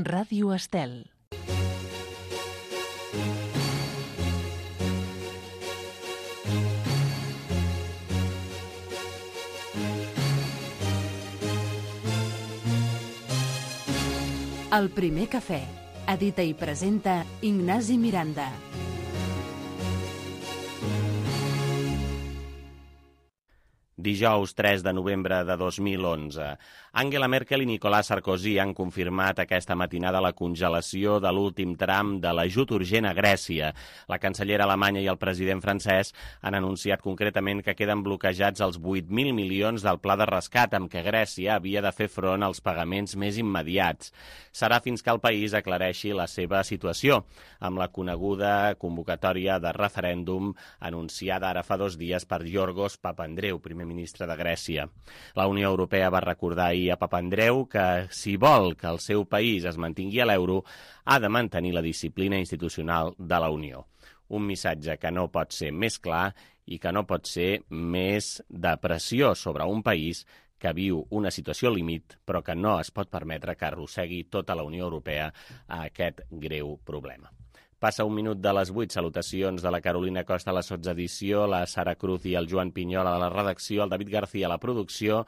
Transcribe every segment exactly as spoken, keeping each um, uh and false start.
Ràdio Estel. El primer cafè. Edita i presenta Ignasi Miranda. Dijous tres de novembre de dos mil onze. Angela Merkel i Nicolas Sarkozy han confirmat aquesta matinada la congelació de l'últim tram de l'ajut urgent a Grècia. La cancellera alemanya i el president francès han anunciat concretament que queden bloquejats els vuit mil milions del pla de rescat amb què Grècia havia de fer front als pagaments més immediats. Serà fins que el país aclareixi la seva situació, amb la coneguda convocatòria de referèndum anunciada ara fa dos dies per Yorgos Papandreou, primer ministre de Grècia. La Unió Europea va recordar ahir a Papandreou que, si vol que el seu país es mantingui a l'euro, ha de mantenir la disciplina institucional de la Unió. Un missatge que no pot ser més clar i que no pot ser més de pressió sobre un país que viu una situació límit, però que no es pot permetre que arrossegui tota la Unió Europea a aquest greu problema. Passa un minut de les vuit. Salutacions de la Carolina Costa a la sotsedició, la Sara Cruz i el Joan Pinyol a la redacció, el David García a la producció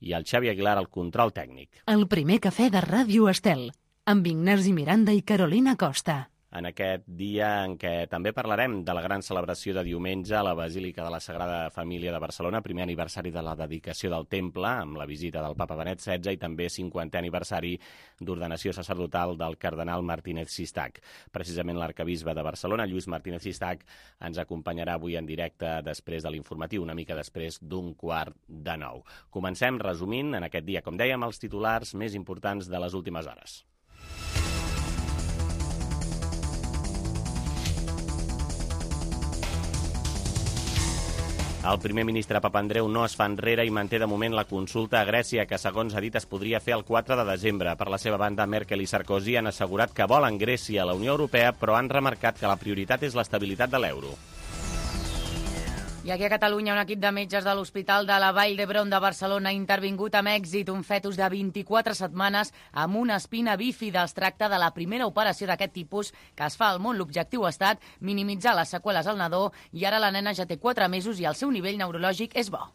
i el Xavi Aguilar al control tècnic. El primer cafè de Ràdio Estel, amb Ignasi Miranda i Carolina Costa. En aquest dia en què també parlarem de la gran celebració de diumenge a la Basílica de la Sagrada Família de Barcelona, primer aniversari de la dedicació del temple, amb la visita del papa Benet setze, i també cinquantè aniversari d'ordenació sacerdotal del cardenal Martínez Sistac. Precisament l'arcabisbe de Barcelona, Lluís Martínez Sistac, ens acompanyarà avui en directe després de l'informatiu, una mica després d'un quart de nou. Comencem resumint en aquest dia, com dèiem, els titulars més importants de les últimes hores. El primer ministre Papandreou no es fa enrere i manté de moment la consulta a Grècia, que segons ha dit es podria fer el quatre de desembre. Per la seva banda, Merkel i Sarkozy han assegurat que volen Grècia a la Unió Europea, però han remarcat que la prioritat és l'estabilitat de l'euro. I aquí a Catalunya, un equip de metges de l'Hospital de la Vall d'Hebron de Barcelona ha intervingut amb èxit un fetus de vint-i-quatre setmanes amb una espina bífida. Es tracta de la primera operació d'aquest tipus que es fa al món. L'objectiu ha estat minimitzar les seqüeles al nadó i ara la nena ja té quatre mesos i el seu nivell neurològic és bo.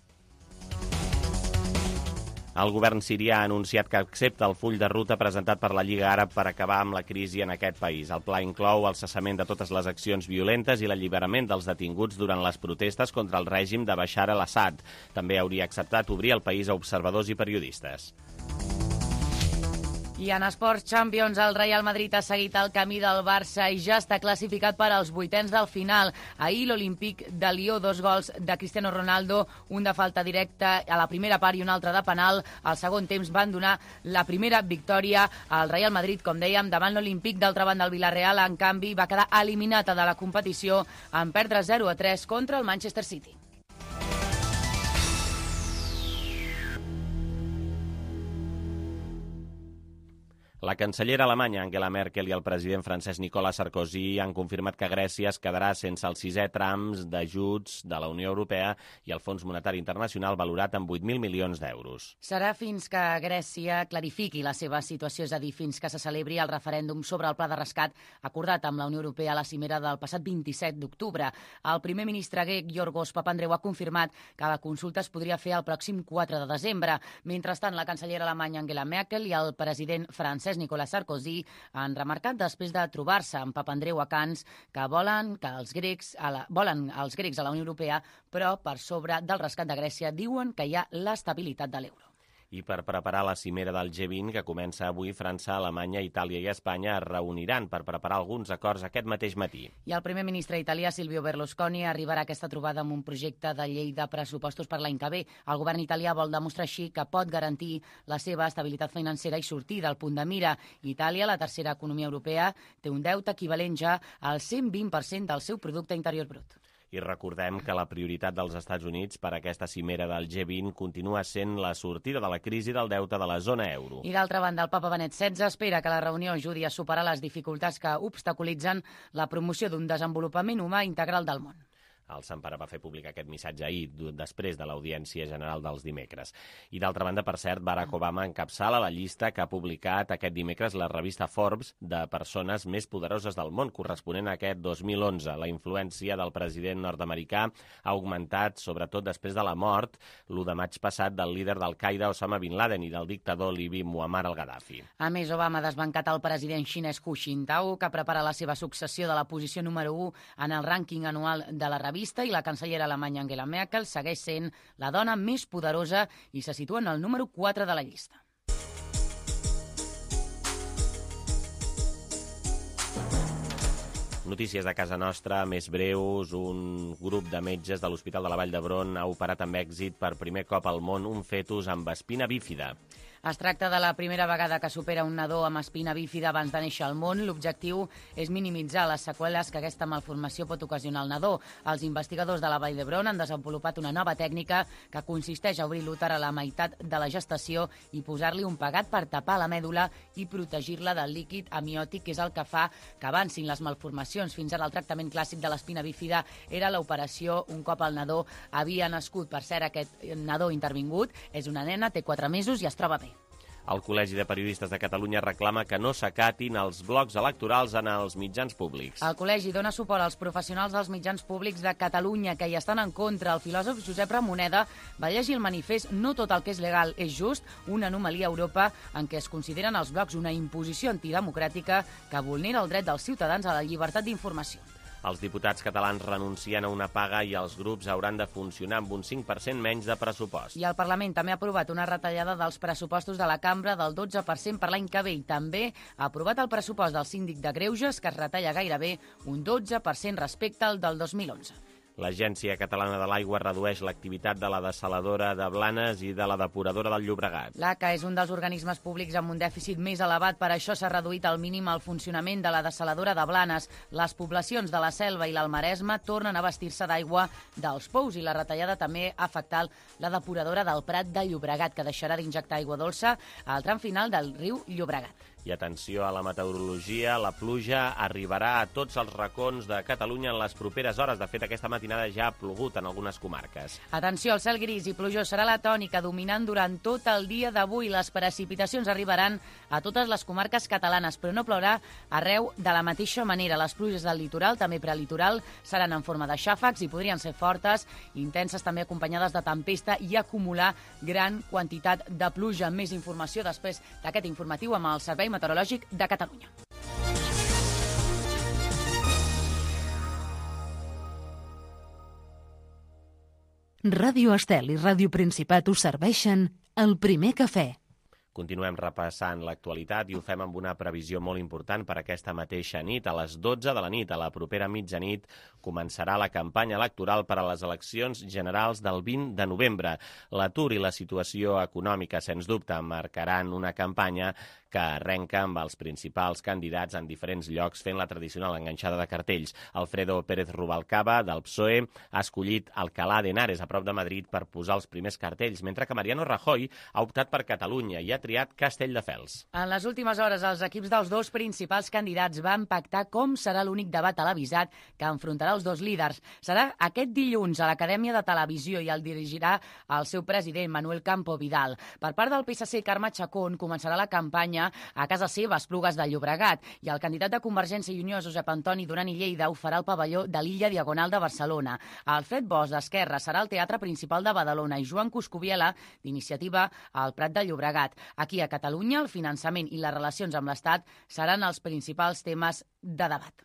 El govern sirià ha anunciat que accepta el full de ruta presentat per la Lliga Àrab per acabar amb la crisi en aquest país. El pla inclou el cessament de totes les accions violentes i l'alliberament dels detinguts durant les protestes contra el règim de Bashar al-Assad. També hauria acceptat obrir el país a observadors i periodistes. I en Esports Champions, el Real Madrid ha seguit el camí del Barça i ja està classificat per als vuitens del final. Ahir l'Olímpic de Lió, dos gols de Cristiano Ronaldo, un de falta directa a la primera part i un altre de penal. Al segon temps van donar la primera victòria al Real Madrid, com dèiem, davant l'Olímpic. D'altra banda, el Villarreal, en canvi, va quedar eliminat de la competició en perdre zero a tres contra el Manchester City. La cancellera alemanya Angela Merkel i el president francès Nicolas Sarkozy han confirmat que Grècia es quedarà sense els sisè trams d'ajuts de la Unió Europea i el Fons Monetari Internacional valorat en vuit mil milions d'euros. Serà fins que Grècia clarifiqui la seva situació, és a dir, fins que se celebri el referèndum sobre el pla de rescat acordat amb la Unió Europea a la cimera del passat vint-i-set d'octubre. El primer ministre grec, Yorgos Papandreou, ha confirmat que la consulta es podria fer el pròxim quatre de desembre. Mentrestant, la cancellera alemanya Angela Merkel i el president francès Nicolas Sarkozy han remarcat després de trobar-se amb Papandreou a Canes que volen que els grecs a la, volen els grecs a la Unió Europea, però per sobre del rescat de Grècia diuen que hi ha l'estabilitat de l'euro. I per preparar la cimera del G vint, que comença avui, França, Alemanya, Itàlia i Espanya es reuniran per preparar alguns acords aquest mateix matí. I el primer ministre italià, Silvio Berlusconi, arribarà a aquesta trobada amb un projecte de llei de pressupostos per l'any que ve. El govern italià vol demostrar així que pot garantir la seva estabilitat financera i sortir del punt de mira. Itàlia, la tercera economia europea, té un deute equivalent ja al cent vint per cent del seu producte interior brut. I recordem que la prioritat dels Estats Units per a aquesta cimera del G vint continua sent la sortida de la crisi del deute de la zona euro. I d'altra banda, el papa Benet setze espera que la reunió ajudi a superar les dificultats que obstaculitzen la promoció d'un desenvolupament humà integral del món. El Sant Pare va fer públic aquest missatge ahir, després de l'Audiència General dels dimecres. I d'altra banda, per cert, Barack Obama encapçala la llista que ha publicat aquest dimecres la revista Forbes de persones més poderoses del món, corresponent a aquest dos mil onze. La influència del president nord-americà ha augmentat, sobretot després de la mort, l'u de maig passat, del líder d'Al-Qaeda Osama Bin Laden i del dictador libi Muammar al-Gaddafi. A més, Obama ha desbancat el president xinès Hu Jintao, que prepara la seva successió de la posició número u en el rànquing anual de la revista, i la cancellera alemanya Angela Merkel segueix sent la dona més poderosa i se situa en el número quatre de la llista. Notícies de casa nostra, més breus. Un grup de metges de l'Hospital de la Vall d'Hebron ha operat amb èxit per primer cop al món un fetus amb espina bífida. Es tracta de la primera vegada que supera un nadó amb espina bífida abans de néixer al món. L'objectiu és minimitzar les seqüeles que aquesta malformació pot ocasionar al nadó. Els investigadors de la Vall d'Hebron han desenvolupat una nova tècnica que consisteix a obrir l'úter a la meitat de la gestació i posar-li un pegat per tapar la mèdula i protegir-la del líquid amniòtic, que és el que fa que avancin les malformacions. Fins ara el tractament clàssic de l'espina bífida era l'operació un cop el nadó havia nascut. Per cert, aquest nadó intervingut és una nena, té quatre mesos i es troba bé. El Col·legi de Periodistes de Catalunya reclama que no s'acatin els blocs electorals en els mitjans públics. El col·legi dona suport als professionals dels mitjans públics de Catalunya que hi estan en contra. El filòsof Josep Ramoneda va llegir el manifest "No tot el que és legal és just", una anomalia a Europa en què es consideren els blocs una imposició antidemocràtica que vulnera el dret dels ciutadans a la llibertat d'informació. Els diputats catalans renuncien a una paga i els grups hauran de funcionar amb un cinc per cent menys de pressupost. I el Parlament també ha aprovat una retallada dels pressupostos de la cambra del dotze per cent per l'any que ve i també ha aprovat el pressupost del síndic de Greuges, que es retalla gairebé un dotze per cent respecte al del dos mil onze. L'Agència Catalana de l'Aigua redueix l'activitat de la dessaladora de Blanes i de la depuradora del Llobregat. L'A C A és un dels organismes públics amb un dèficit més elevat, per això s'ha reduït al mínim el funcionament de la dessaladora de Blanes. Les poblacions de la Selva i l'Almaresme tornen a vestir-se d'aigua dels pous i la retallada també ha afectat la depuradora del Prat de Llobregat, que deixarà d'injectar aigua dolça al tram final del riu Llobregat. I atenció a la meteorologia, la pluja arribarà a tots els racons de Catalunya en les properes hores. De fet, aquesta matinada ja ha plogut en algunes comarques. Atenció, el cel gris i plujós serà la tònica, dominant durant tot el dia d'avui. Les precipitacions arribaran a totes les comarques catalanes, però no plourà arreu de la mateixa manera. Les pluges del litoral, també prelitoral, seran en forma de xàfecs i podrien ser fortes, intenses, també acompanyades de tempesta i acumular gran quantitat de pluja. Més informació després d'aquest informatiu amb el Servei Meteorològic de Catalunya. Ràdio Estel i Ràdio Principat us serveixen el primer cafè. Continuem repassant l'actualitat i ho fem amb una previsió molt important per aquesta mateixa nit. A les dotze de la nit, a la propera mitjanit, començarà la campanya electoral per a les eleccions generals del vint de novembre. L'atur i la situació econòmica, sens dubte, marcaran una campanya que arrenca amb els principals candidats en diferents llocs fent la tradicional enganxada de cartells. Alfredo Pérez Rubalcaba, del P S O E, ha escollit Alcalá de Henares, a prop de Madrid, per posar els primers cartells, mentre que Mariano Rajoy ha optat per Catalunya i ha triat Castelldefels. En les últimes hores, els equips dels dos principals candidats van pactar com serà l'únic debat televisat que enfrontarà els dos líders. Serà aquest dilluns a l'Acadèmia de Televisió i el dirigirà el seu president, Manuel Campo Vidal. Per part del P S C, Carme Chacón, començarà la campanya a casa seva, a Esplugues de Llobregat, i el candidat de Convergència i Unió, Josep Antoni Duran i Lleida, ho farà al pavelló de l'Illa Diagonal de Barcelona. Alfred Bosch, d'Esquerra, serà al Teatre Principal de Badalona i Joan Coscubiela, d'Iniciativa, al Prat de Llobregat. Aquí a Catalunya, el finançament i les relacions amb l'Estat seran els principals temes de debat.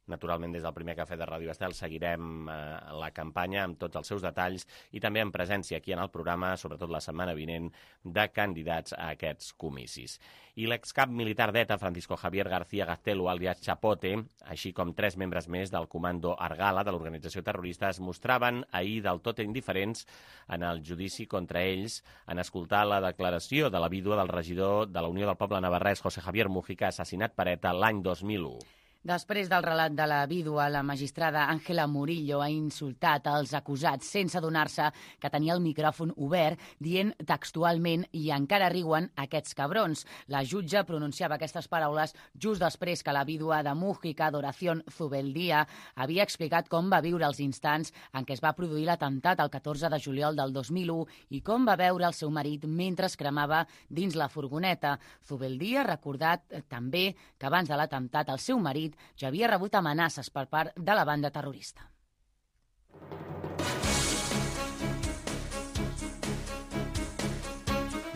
Naturalment, des del primer cafè de Ràdio Estel seguirem eh, la campanya amb tots els seus detalls i també en presència aquí en el programa, sobretot la setmana vinent, de candidats a aquests comicis. I l'excap militar d'ETA, Francisco Javier García Gaztelu, alias Chapote, així com tres membres més del comando Argala de l'organització terrorista, es mostraven ahir del tot indiferents en el judici contra ells en escoltar la declaració de la vídua del regidor de la Unió del Poble Navarrès, José Javier Mújica, assassinat per ETA l'any dos mil u. Després del relat de la vídua, la magistrada Ángela Murillo ha insultat els acusats sense adonar-se que tenia el micròfon obert, dient textualment «i encara riuen aquests cabrons». La jutge pronunciava aquestes paraules just després que la vídua de Mújica, Adoración Zubeldía, havia explicat com va viure els instants en què es va produir l'atemptat el catorze de juliol del dos mil u i com va veure el seu marit mentre es cremava dins la furgoneta. Zubeldía ha recordat també que abans de l'atemptat el seu marit ja havia rebut amenaces per part de la banda terrorista.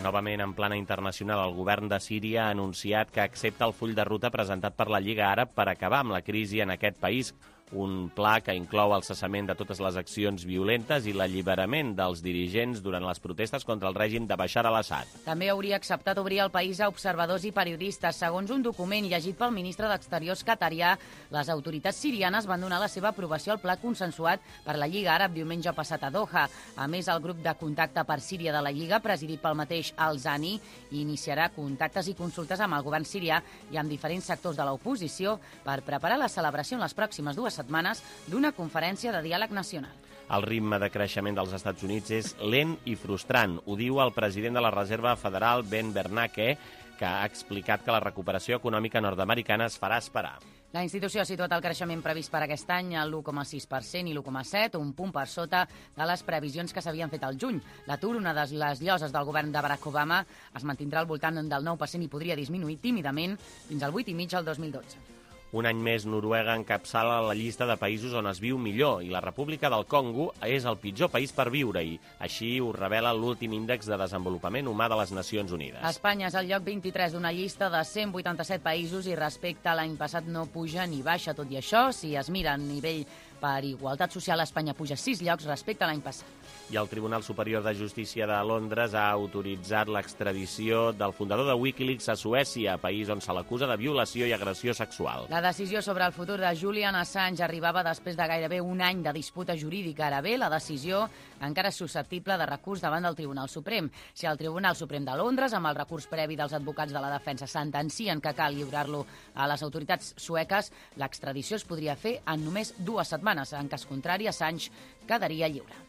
Novament, en plana internacional, el govern de Síria ha anunciat que accepta el full de ruta presentat per la Lliga Àrab per acabar amb la crisi en aquest país, un pla que inclou el cessament de totes les accions violentes i l'alliberament dels dirigents durant les protestes contra el règim de Bashar al-Assad. També hauria acceptat obrir el país a observadors i periodistes. Segons un document llegit pel ministre d'Exteriors qatarià, les autoritats sirianes van donar la seva aprovació al pla consensuat per la Lliga Àrab diumenge passat a Doha. A més, el grup de contacte per Síria de la Lliga, presidit pel mateix Al-Zani, iniciarà contactes i consultes amb el govern sirià i amb diferents sectors de l'oposició per preparar la celebració en les pròximes dues setmanes d'una conferència de diàleg nacional. El ritme de creixement dels Estats Units és lent i frustrant. Ho diu el president de la Reserva Federal, Ben Bernanke, que ha explicat que la recuperació econòmica nord-americana es farà esperar. La institució ha situat el creixement previst per aquest any a l'u coma sis per cent i l'u coma set, un punt per sota de les previsions que s'havien fet al juny. L'atur, una de les lloses del govern de Barack Obama, es mantindrà al voltant del nou per cent i podria disminuir tímidament fins al vuit coma cinc per cent al dos mil dotze. Un any més, Noruega encapçala la llista de països on es viu millor i la República del Congo és el pitjor país per viure-hi. Així ho revela l'últim índex de desenvolupament humà de les Nacions Unides. Espanya és el lloc vint-i-tres d'una llista de cent vuitanta-set països i respecte a l'any passat no puja ni baixa. Tot i això, si es mira a nivell per igualtat social, Espanya puja sis llocs respecte a l'any passat. I el Tribunal Superior de Justícia de Londres ha autoritzat l'extradició del fundador de Wikileaks a Suècia, país on se l'acusa de violació i agressió sexual. La decisió sobre el futur de Julian Assange arribava després de gairebé un any de disputa jurídica. Ara bé, la decisió encara és susceptible de recurs davant del Tribunal Suprem. Si el Tribunal Suprem de Londres, amb el recurs previ dels advocats de la defensa, sentencien que cal lliurar-lo a les autoritats sueques, l'extradició es podria fer en només dues setmanes. En cas contrari, Assange quedaria lliure.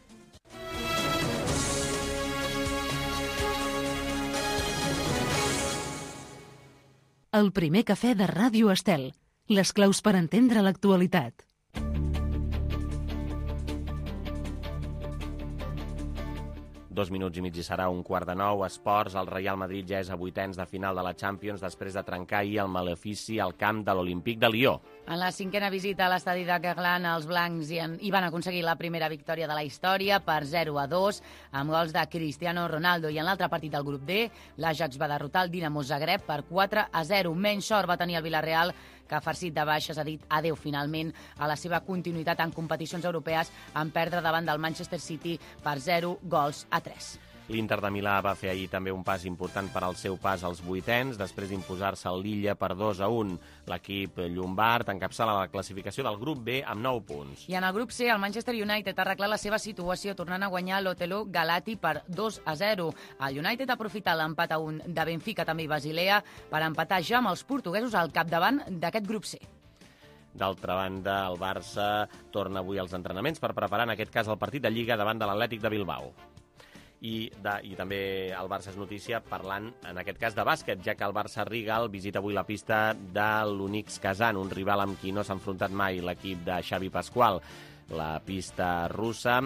El primer cafè de Ràdio Estel. Les claus per entendre l'actualitat. Dos minuts i mig i serà un quart de nou. Esports, el Real Madrid ja és a vuitens de final de la Champions després de trencar ahir el malefici al camp de l'Olímpic de Lió. En la cinquena visita a l'estadi de Guerlain, els blancs hi, en, hi van aconseguir la primera victòria de la història per zero a dos, amb gols de Cristiano Ronaldo. I en l'altre partit del grup D, l'Ajax va derrotar el Dinamo Zagreb per quatre a zero. Menys sort va tenir el Villarreal, que farcit de baixes ha dit adeu finalment a la seva continuïtat en competicions europees en perdre davant del Manchester City per zero gols a tres. L'Inter de Milà va fer ahir també un pas important per al seu pas als vuitens, després d'imposar-se al Lilla per dos a un. L'equip llombard encapçala la classificació del grup B amb nou punts. I en el grup C, el Manchester United ha arreglat la seva situació tornant a guanyar l'Otelo Galati per dos a zero. El United ha aprofitat l'empat a un de Benfica també i Basilea per empatar ja amb els portuguesos al capdavant d'aquest grup C. D'altra banda, el Barça torna avui als entrenaments per preparar en aquest cas el partit de Lliga davant de l'Atlètic de Bilbao. I, de, I també el Barça és notícia parlant, en aquest cas, de bàsquet, ja que el Barça Rigal visita avui la pista de l'Unix Kazan, un rival amb qui no s'ha enfrontat mai l'equip de Xavi Pascual. La pista russa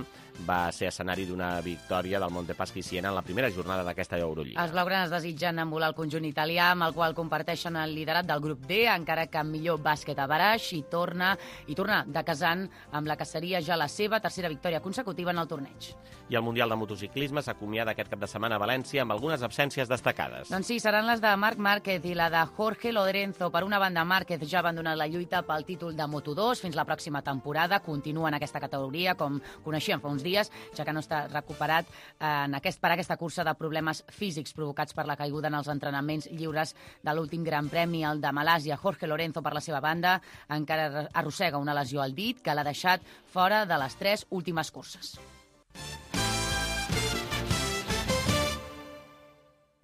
va ser escenari d'una victòria del Montepaschi Siena en la primera jornada d'aquesta Eurolliga. Els blaugranes desitgen envolar el conjunt italià, amb el qual comparteixen el liderat del grup D, encara que amb millor bàsquet a baraix, i torna, i torna de Kazan amb la que seria ja la seva tercera victòria consecutiva en el torneig. I el Mundial de Motociclisme s'acomiada aquest cap de setmana a València amb algunes absències destacades. Doncs sí, seran les de Marc Márquez i la de Jorge Lorenzo. Per una banda, Márquez ja ha abandonat la lluita pel títol de Moto dos fins la pròxima temporada. Continua en aquesta categoria, com coneixíem fa uns dies, ja que no està recuperat en aquest, per aquesta cursa de problemes físics provocats per la caiguda en els entrenaments lliures de l'últim Gran Premi, el de Malàsia. Jorge Lorenzo, per la seva banda, encara arrossega una lesió al dit que l'ha deixat fora de les tres últimes curses.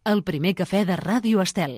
El primer cafè de Ràdio Estel.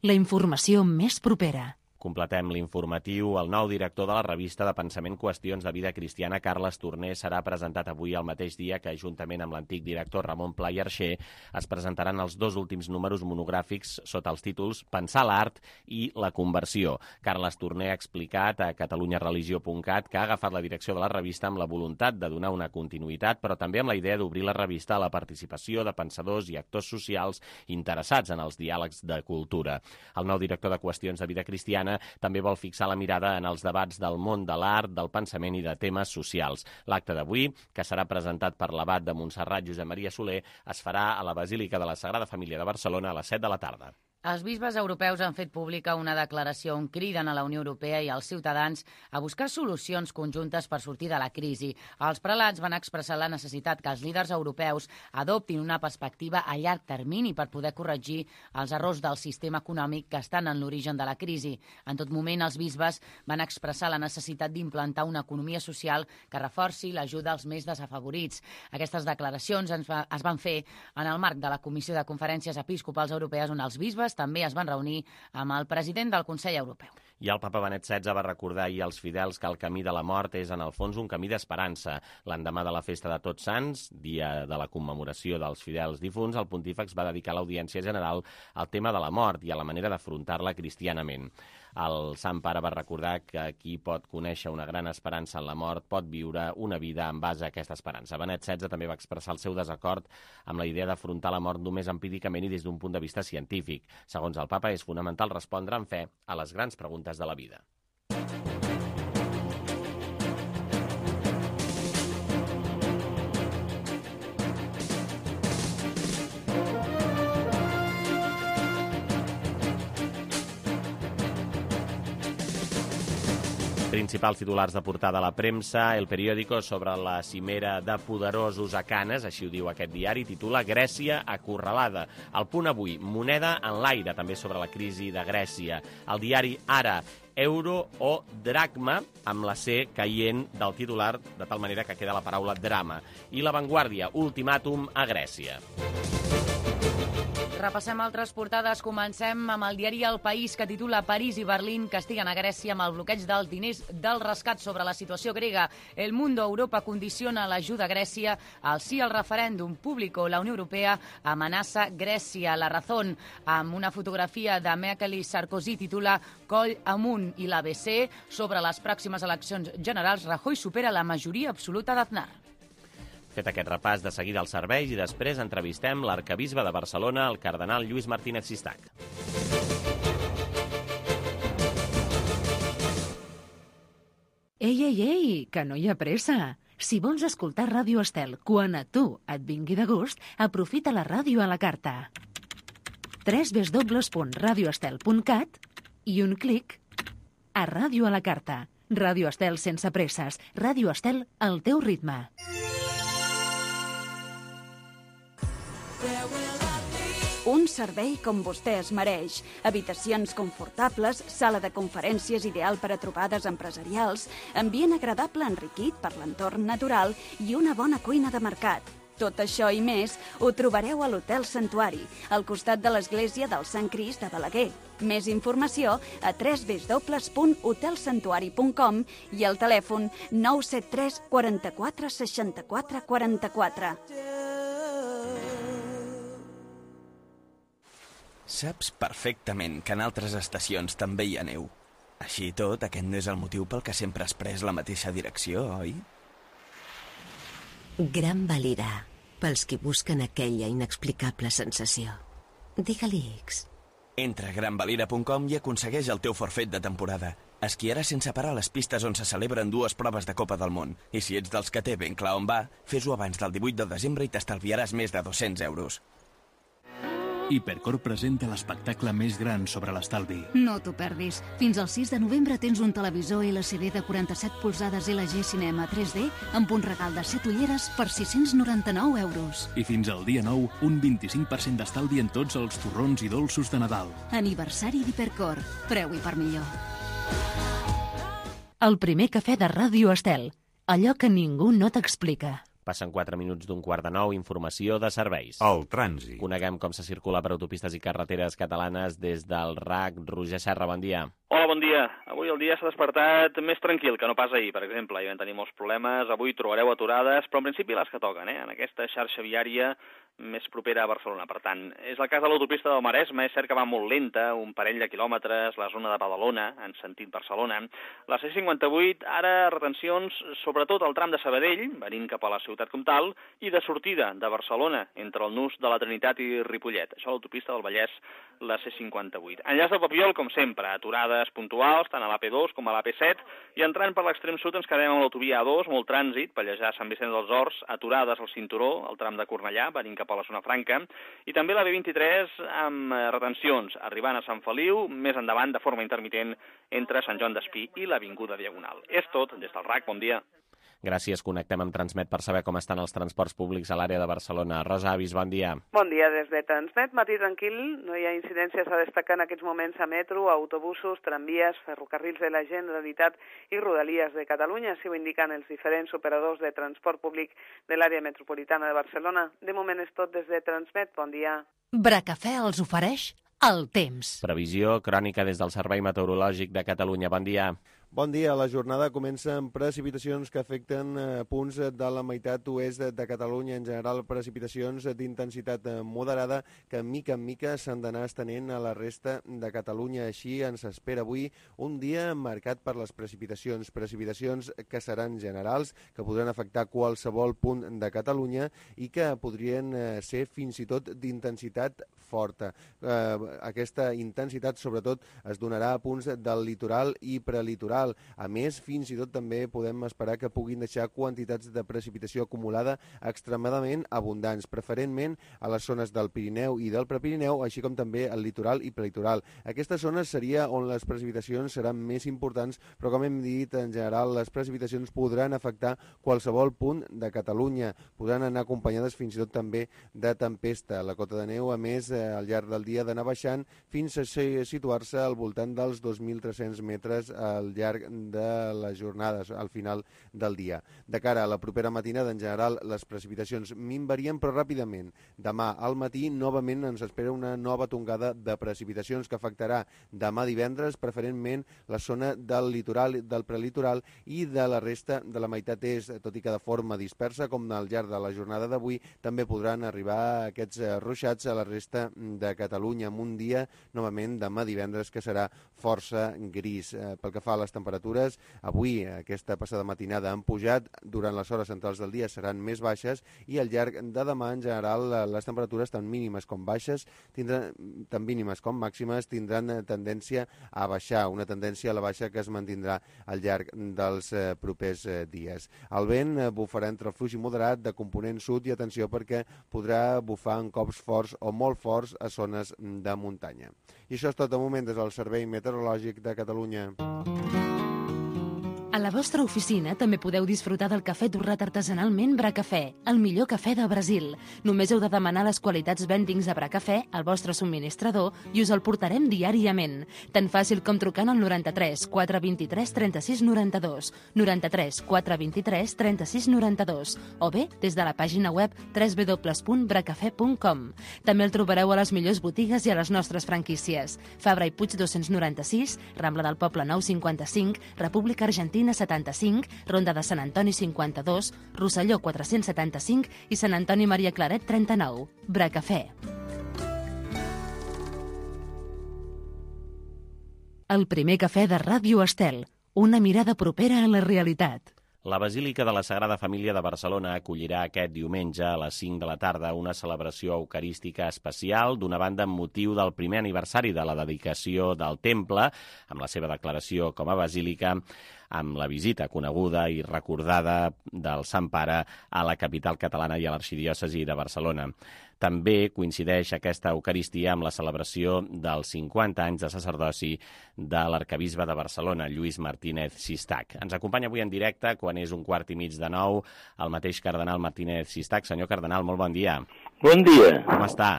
La informació més propera. Completem l'informatiu. El nou director de la revista de pensament Qüestions de vida cristiana, Carles Torner, serà presentat avui el mateix dia que, juntament amb l'antic director Ramon Pla i Arxer, es presentaran els dos últims números monogràfics sota els títols Pensar l'art i la conversió. Carles Torner ha explicat a catalunya religió punt cat que ha agafat la direcció de la revista amb la voluntat de donar una continuïtat, però també amb la idea d'obrir la revista a la participació de pensadors i actors socials interessats en els diàlegs de cultura. El nou director de Qüestions de vida cristiana també vol fixar la mirada en els debats del món de l'art, del pensament i de temes socials. L'acte d'avui, que serà presentat per l'abat de Montserrat, Josep Maria Soler, es farà a la Basílica de la Sagrada Família de Barcelona a les set de la tarda. Els bisbes europeus han fet pública una declaració on criden a la Unió Europea i als ciutadans a buscar solucions conjuntes per sortir de la crisi. Els prelats van expressar la necessitat que els líders europeus adoptin una perspectiva a llarg termini per poder corregir els errors del sistema econòmic que estan en l'origen de la crisi. En tot moment, els bisbes van expressar la necessitat d'implantar una economia social que reforci l'ajuda als més desafavorits. Aquestes declaracions es van fer en el marc de la Comissió de Conferències Episcopals Europees, on els bisbes també es van reunir amb el president del Consell Europeu. I el papa Benet setze va recordar ahir als fidels que el camí de la mort és, en el fons, un camí d'esperança. L'endemà de la festa de Tots Sants, dia de la commemoració dels fidels difunts, el pontífex va dedicar l'audiència general al tema de la mort i a la manera d'afrontar-la cristianament. El Sant Pare va recordar que qui pot conèixer una gran esperança en la mort pot viure una vida en base a aquesta esperança. Benet setze també va expressar el seu desacord amb la idea d'afrontar la mort només empíricament i des d'un punt de vista científic. Segons el papa, és fonamental respondre amb fe a les grans preguntes de la vida. Principals titulars de portada a la premsa. El periòdico, sobre la cimera de poderosos a Canes, així ho diu aquest diari, titula Grècia acorralada. El Punt avui, moneda en l'aire, també sobre la crisi de Grècia. El diari Ara, euro o dracma, amb la C caient del titular, de tal manera que queda la paraula drama. I La Vanguardia, ultimàtum a Grècia. Repassem altres portades. Comencem amb el diari El País, que titula París i Berlín castiguen a Grècia amb el bloqueig dels diners del rescat. Sobre la situació grega, El Mundo, Europa condiciona l'ajuda a Grècia al sí al referèndum. Público, la Unió Europea amenaça Grècia. La Razón, amb una fotografia de Merkel i Sarkozy, titula Coll amunt. I l'A B C, sobre les pròximes eleccions generals, Rajoy supera la majoria absoluta d'Aznar. Fet aquest repàs, de seguida als serveis i després entrevistem l'arcabisbe de Barcelona, el cardenal Lluís Martínez Sistac. Ei, ei, ei, que no hi ha pressa. Si vols escoltar Ràdio Estel quan a tu et vingui de gust, aprofita la ràdio a la carta. w w w punt radio estel punt cat i un clic a Ràdio a la carta. Ràdio Estel sense presses. Ràdio Estel al teu ritme. Un servei com vostè es mereix. Habitacions confortables, sala de conferències ideal per a trobades empresarials, ambient agradable enriquit per l'entorn natural i una bona cuina de mercat. Tot això i més ho trobareu a l'Hotel Santuari, al costat de l'església del Sant Crist de Balaguer. Més informació a w w w punt hotel santuari punt com i al telèfon nou set tres quaranta-quatre seixanta-quatre quaranta-quatre. Saps perfectament que en altres estacions també hi ha neu. Així i tot, aquest no és el motiu pel que sempre has pres la mateixa direcció, oi? Gran Valira, pels qui busquen aquella inexplicable sensació. Digue-li X. Entra a gran valira punt com i aconsegueix el teu forfet de temporada. Esquiaràs sense parar a les pistes on se celebren dues proves de Copa del Món. I si ets dels que té ben clar on va, fes-ho abans del divuit de desembre i t'estalviaràs més de dos-cents euros. Hipercor presenta l'espectacle més gran sobre l'estalvi. No t'ho perdis. Fins al sis de novembre tens un televisor L C D de quaranta-set polzades L G Cinema tres D amb un regal de set ulleres per sis-cents noranta-nou euros. I fins al dia nou, un vint-i-cinc per cent d'estalvi en tots els torrons i dolços de Nadal. Aniversari d'Hipercor. Preu i per millor. El primer cafè de Ràdio Estel. Allò que ningú no t'explica. Passen quatre minuts d'un quart de nou, informació de serveis. El trànsit. Coneguem com se circula per autopistes i carreteres catalanes des del R A C. Roger Serra, bon dia. Hola, bon dia. Avui el dia s'ha despertat més tranquil que no pas ahir, per exemple. Hi vam tenir molts problemes, avui trobareu aturades, però en principi les que toquen, eh? En aquesta xarxa viària més propera a Barcelona. Per tant, és el cas de l'autopista del Maresme, és cert que va molt lenta, un parell de quilòmetres, la zona de Badalona, en sentit Barcelona. La C cinquanta-vuit, ara retencions, sobretot al tram de Sabadell, venint cap a la ciutat comtal, i de sortida de Barcelona, entre el nus de la Trinitat i Ripollet. Això a l'autopista del Vallès, la C cinquanta-vuit. Enllaç del Papiol, com sempre, aturades puntuals, tant a l'A P dos com a l'A P set, i entrant per l'extrem sud ens quedem amb l'autovia A dos, molt trànsit, Pallejà, Sant Vicenç dels Horts, aturades al cinturó, al tram de Cornellà, venint cap a la zona franca, i també la B vint-i-tres amb retencions, arribant a Sant Feliu, més endavant de forma intermitent entre Sant Joan d'Espí i l'Avinguda Diagonal. És tot, des del R A C, bon dia. Gràcies, connectem amb Transmet per saber com estan els transports públics a l'àrea de Barcelona. Rosa Avis, bon dia. Bon dia des de Transmet, matí tranquil, no hi ha incidències a destacar en aquests moments a metro, autobusos, tramvies, ferrocarrils de la Generalitat i Rodalies de Catalunya, si ho indiquen els diferents operadors de transport públic de l'àrea metropolitana de Barcelona. De moment és tot des de Transmet, bon dia. Bracafè els ofereix el temps. Previsió crònica des del Servei Meteorològic de Catalunya. Bon dia. Bon dia. La jornada comença amb precipitacions que afecten eh, punts de la meitat oest de, de Catalunya. En general, precipitacions d'intensitat moderada que mica en mica s'han d'anar estenent a la resta de Catalunya. Així ens espera avui un dia marcat per les precipitacions. Precipitacions que seran generals, que podran afectar qualsevol punt de Catalunya i que podrien eh, ser fins i tot d'intensitat forta. Eh, aquesta intensitat, sobretot, es donarà a punts del litoral i prelitoral. A més, fins i tot també podem esperar que puguin deixar quantitats de precipitació acumulada extremadament abundants, preferentment a les zones del Pirineu i del Prepirineu, així com també al litoral i prelitoral. Aquesta zona seria on les precipitacions seran més importants, però com hem dit, en general, les precipitacions podran afectar qualsevol punt de Catalunya. Podran anar acompanyades fins i tot també de tempesta. La cota de neu, a més, al llarg del dia d'anar baixant fins a situar-se al voltant dels dos mil tres-cents metres al llarg de les jornades al final del dia. De cara a la propera matinada, en general, les precipitacions minvarien, però ràpidament. Demà al matí, novament, ens espera una nova tongada de precipitacions que afectarà demà divendres, preferentment la zona del litoral, del prelitoral i de la resta de la meitat est, tot i que de forma dispersa, com al llarg de la jornada d'avui, també podran arribar aquests ruixats a la resta de Catalunya, amb un dia, novament, demà divendres, que serà força gris. Pel que fa a les temperatures, avui aquesta passada matinada han pujat, durant les hores centrals del dia seran més baixes i al llarg de demà en general les temperatures tant mínimes com baixes, tindran, tant mínimes com màximes, tindran tendència a baixar, una tendència a la baixa que es mantindrà al llarg dels propers dies. El vent bufarà entre el fluix i moderat de component sud i atenció perquè podrà bufar en cops forts o molt forts a zones de muntanya. I això és tot de moment des del Servei Meteorològic de Catalunya. A la vostra oficina també podeu disfrutar del cafè torrat artesanalment Bracafè, el millor cafè del Brasil. Només heu de demanar les qualitats vendings de Bracafè al vostre subministrador i us el portarem diàriament. Tan fàcil com trucant al noranta-tres quatre vint-i-tres trenta-sis noranta-dos, noranta-tres quatre vint-i-tres trenta-sis noranta-dos o bé des de la pàgina web w w w punt bracafè punt com. També el trobareu a les millors botigues i a les nostres franquícies. Fabra i Puig dos-cents noranta-sis, Rambla del Poble nou cinquanta-cinc, República Argentina setanta-cinc, Ronda de Sant Antoni cinquanta-dos, Rosselló quatre-cents setanta-cinc i Sant Antoni Maria Claret trenta-nou. Bracafè. El primer cafè de Ràdio Estel. Una mirada propera a la realitat. La Basílica de la Sagrada Família de Barcelona acollirà aquest diumenge a les cinc de la tarda una celebració eucarística especial, d'una banda amb motiu del primer aniversari de la dedicació del temple, amb la seva declaració com a basílica, amb la visita coneguda i recordada del Sant Pare a la capital catalana i a l'arxidiòcesi de Barcelona. També coincideix aquesta Eucaristia amb la celebració dels cinquanta anys de sacerdoci de l'arcabisbe de Barcelona, Lluís Martínez Sistac. Ens acompanya avui en directe, quan és un quart i mig de nou, el mateix cardenal Martínez Sistac. Senyor cardenal, molt bon dia. Bon dia. Com està?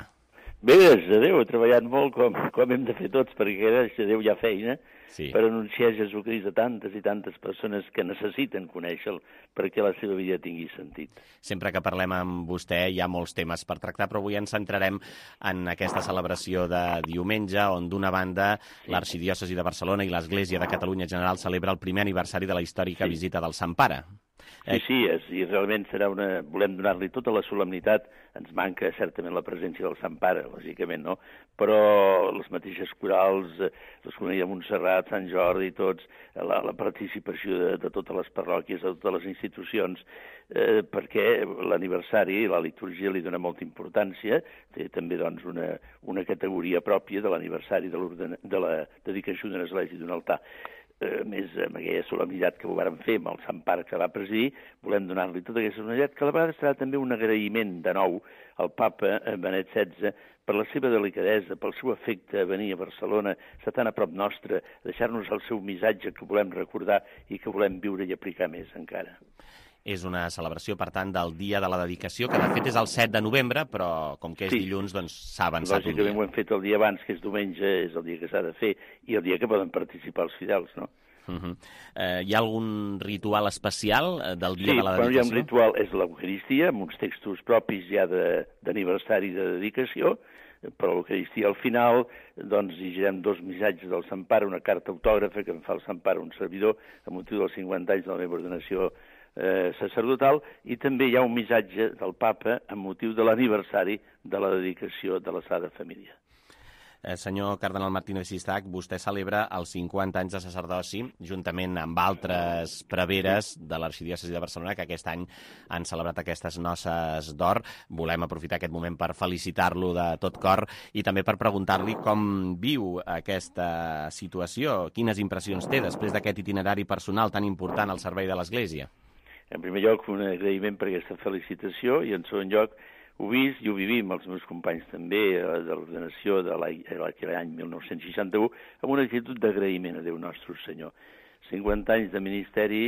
Bé, gràcies a Déu, he treballat molt com, com hem de fer tots, perquè gràcies a Déu hi ha feina sí. per anunciar Jesucrist a tantes i tantes persones que necessiten conèixer-lo perquè la seva vida tingui sentit. Sempre que parlem amb vostè hi ha molts temes per tractar, però avui ens centrarem en aquesta celebració de diumenge, on d'una banda sí. l'Arxidiòcesi de Barcelona i l'Església de Catalunya en general celebra el primer aniversari de la històrica sí. visita del Sant Pare. Sí, sí, és, i realment serà una... volem donar-li tota la solemnitat. Ens manca certament la presència del Sant Pare, lògicament, no? Però les mateixes corals, les comunitats de Montserrat, Sant Jordi, tots, la, la participació de, de totes les parròquies, de totes les institucions, eh, perquè l'aniversari, la litúrgia li dona molta importància, té també doncs, una, una categoria pròpia de l'aniversari de, de la dedicació d'una església i d'un altar. A més, amb aquella solemnitat que ho vàrem fer amb el Sant Pare que va presidir, volem donar-li tota aquesta solemnitat, que a la vegada serà també un agraïment de nou al papa Benet setze per la seva delicadesa, pel seu afecte a venir a Barcelona, estar tan a prop nostre, deixar-nos el seu missatge que volem recordar i que volem viure i aplicar més encara. És una celebració, per tant, del dia de la dedicació, que de fet és el set de novembre, però com que és sí. dilluns, doncs s'ha avançat un dia. Lògicament ho hem fet el dia abans, que és diumenge, és el dia que s'ha de fer, i el dia que poden participar els fidels, no? Uh -huh. eh, hi ha algun ritual especial del dia sí, de la dedicació? Sí, hi ha un ritual, és l'Eucaristia, amb uns textos propis ja d'aniversari de, de dedicació, però l'Eucaristia al final, doncs llegirem dos missatges del Sant Pare, una carta autògrafa que em fa el Sant Pare, un servidor, a motiu dels cinquanta anys de la meva ordenació eh, sacerdotal, i també hi ha un missatge del Papa amb motiu de l'aniversari de la dedicació de la Sagrada Família. Eh, senyor cardenal Martínez Sistac, vostè celebra els cinquanta anys de sacerdoci, juntament amb altres preveres de l'Arxidiòcesi de Barcelona, que aquest any han celebrat aquestes noces d'or. Volem aprofitar aquest moment per felicitar-lo de tot cor i també per preguntar-li com viu aquesta situació, quines impressions té després d'aquest itinerari personal tan important al servei de l'Església. En primer lloc, un agraïment per aquesta felicitació i, en segon lloc, ho vist i ho vivim els meus companys també de l'ordenació de l'any mil nou-cents seixanta-u amb una actitud d'agraïment a Déu nostre Senyor. cinquanta anys de ministeri,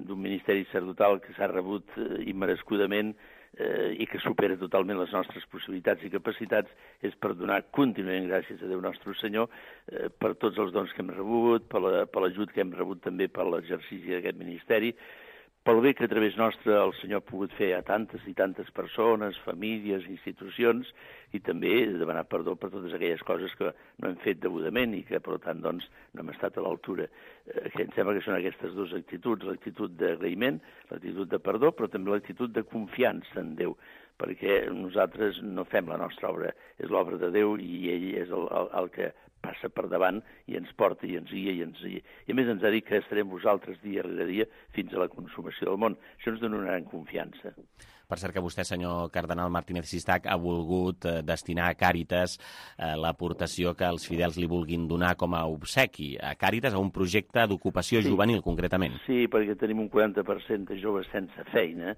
d'un ministeri sacerdotal que s'ha rebut immerescudament eh, i que supera totalment les nostres possibilitats i capacitats, és per donar contínuament gràcies a Déu nostre Senyor eh, per tots els dons que hem rebut, per l'ajut que hem rebut també per l'exercici d'aquest ministeri, pel bé que a través nostre el Senyor ha pogut fer a tantes i tantes persones, famílies, institucions, i també demanar perdó per totes aquelles coses que no hem fet degudament i que, per tant, doncs, no hem estat a l'altura. Eh, que em sembla que són aquestes dues actituds, l'actitud d'agraïment, l'actitud de perdó, però també l'actitud de confiança en Déu, perquè nosaltres no fem la nostra obra, és l'obra de Déu i ell és el, el, el que passa per davant i ens porta i ens guia i ens guia. I a més ens ha dit que estarem vosaltres dia rere dia fins a la consumació del món. Això ens dona una gran confiança. Per cert que vostè, senyor cardenal Martínez Sistac, ha volgut eh, destinar a Càritas eh, l'aportació que els fidels li vulguin donar com a obsequi a Càritas, a un projecte d'ocupació sí. juvenil, concretament. Sí, perquè tenim un quaranta per cent de joves sense feina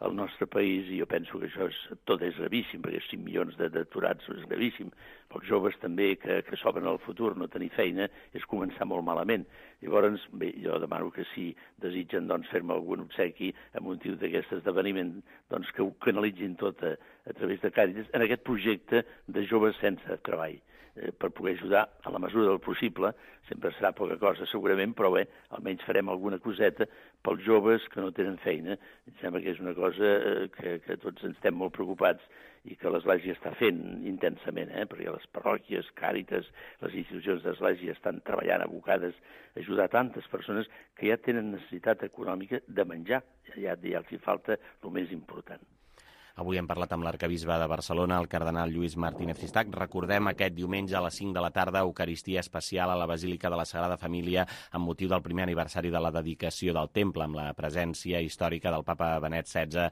al nostre país, i jo penso que això és, tot és gravíssim, perquè cinc milions d'aturats és gravíssim. Els joves també que, que s'obren al futur, no tenir feina, és començar molt malament. Llavors, bé, jo demano que si desitgen doncs, fer-me algun obsequi a motiu d'aquest esdeveniment, doncs que ho canalitzin tot a, a través de Càritas en aquest projecte de joves sense treball, eh, per poder ajudar a la mesura del possible. Sempre serà poca cosa segurament, però bé, almenys farem alguna coseta pels joves que no tenen feina. Em sembla que és una cosa eh, que, que tots ens estem molt preocupats i que l'Església està fent intensament, eh? perquè les parròquies, Càritas, les institucions d'Església estan treballant abocades a ajudar tantes persones que ja tenen necessitat econòmica de menjar, ja, ja els hi falta el més important. Avui hem parlat amb l'arcabisbe de Barcelona, el cardenal Lluís Martínez Sistac. Recordem aquest diumenge a les cinc de la tarda, Eucaristia especial a la Basílica de la Sagrada Família amb motiu del primer aniversari de la dedicació del temple, amb la presència històrica del papa Benet setze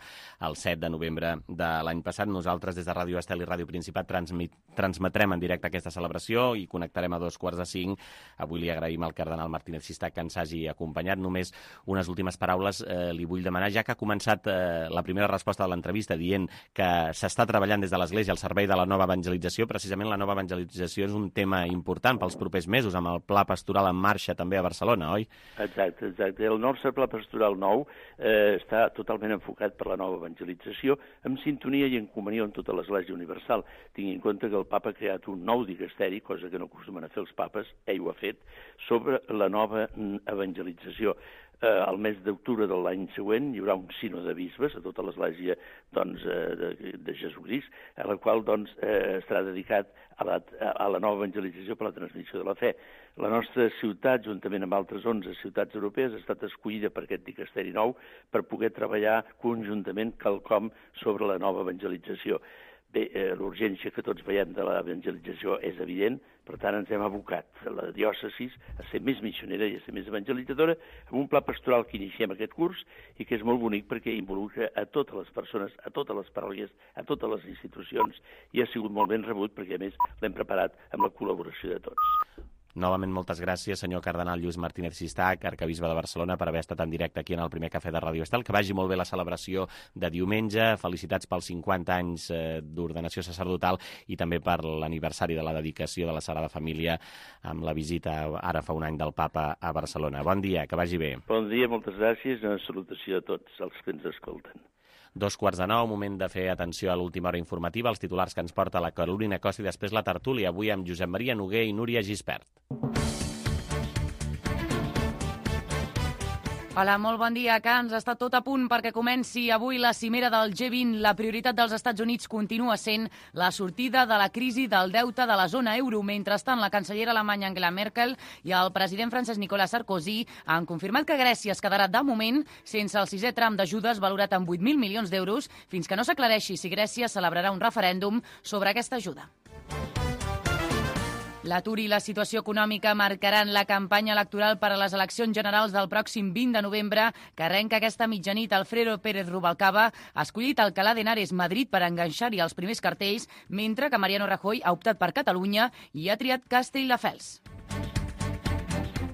el set de novembre de l'any passat. Nosaltres, des de Ràdio Estel i Ràdio Principat, transmit, transmetrem en directe aquesta celebració i connectarem a dos quarts de cinc. Avui li agraïm al cardenal Martínez Sistac que ens hagi acompanyat. Només unes últimes paraules eh, li vull demanar, ja que ha començat eh, la primera resposta de l'entrevista dient dient que s'està treballant des de l'Església al servei de la nova evangelització. Precisament la nova evangelització és un tema important pels propers mesos, amb el pla pastoral en marxa també a Barcelona, oi? Exacte, exacte. El nostre pla pastoral nou eh, està totalment enfocat per la nova evangelització, amb sintonia i en comunió amb tota l'Església Universal. Tingui en compte que el papa ha creat un nou dicasteri, cosa que no acostumen a fer els papes, ell ho ha fet, sobre la nova evangelització. Eh, el mes d'octubre de l'any següent hi haurà un sino de bisbes a tota l'Església doncs, eh, de, de Jesucrist, a la qual doncs, eh, estarà dedicat a la, a la nova evangelització per la transmissió de la fe. La nostra ciutat, juntament amb altres onze ciutats europees, ha estat escollida per aquest dicasteri nou per poder treballar conjuntament quelcom sobre la nova evangelització. Bé, eh, l'urgència que tots veiem de l'evangelització és evident, per tant ens hem abocat a la diòcesis a ser més missionera i a ser més evangelitzadora amb un pla pastoral que iniciem aquest curs i que és molt bonic perquè involucra a totes les persones, a totes les parròquies, a totes les institucions i ha sigut molt ben rebut perquè a més l'hem preparat amb la col·laboració de tots. Novament, moltes gràcies, senyor cardenal Lluís Martínez Sistac, arcabisbe de Barcelona, per haver estat en directe aquí en el primer cafè de Ràdio Estel. Que vagi molt bé la celebració de diumenge. Felicitats pels cinquanta anys d'ordenació sacerdotal i també per l'aniversari de la dedicació de la Sagrada Família amb la visita ara fa un any del papa a Barcelona. Bon dia, que vagi bé. Bon dia, moltes gràcies i una salutació a tots els que ens escolten. Dos quarts de nou, moment de fer atenció a l'última hora informativa, els titulars que ens porta la Carolina Costa i després la tertúlia, avui amb Josep Maria Noguer i Núria Gispert. Hola, molt bon dia, Cans. Està tot a punt perquè comenci avui la cimera del G vint. La prioritat dels Estats Units continua sent la sortida de la crisi del deute de la zona euro. Mentrestant, la cancellera alemanya Angela Merkel i el president francès Nicolas Sarkozy han confirmat que Grècia es quedarà de moment sense el sisè tram d'ajudes valorat en vuit mil milions d'euros fins que no s'aclareixi si Grècia celebrarà un referèndum sobre aquesta ajuda. L'atur i la situació econòmica marcaran la campanya electoral per a les eleccions generals del pròxim vint de novembre, que arrenca aquesta mitjanit. Alfredo Pérez Rubalcaba ha escollit Alcalá de Henares, Madrid, per enganxar-hi els primers cartells, mentre que Mariano Rajoy ha optat per Catalunya i ha triat Castelldefels.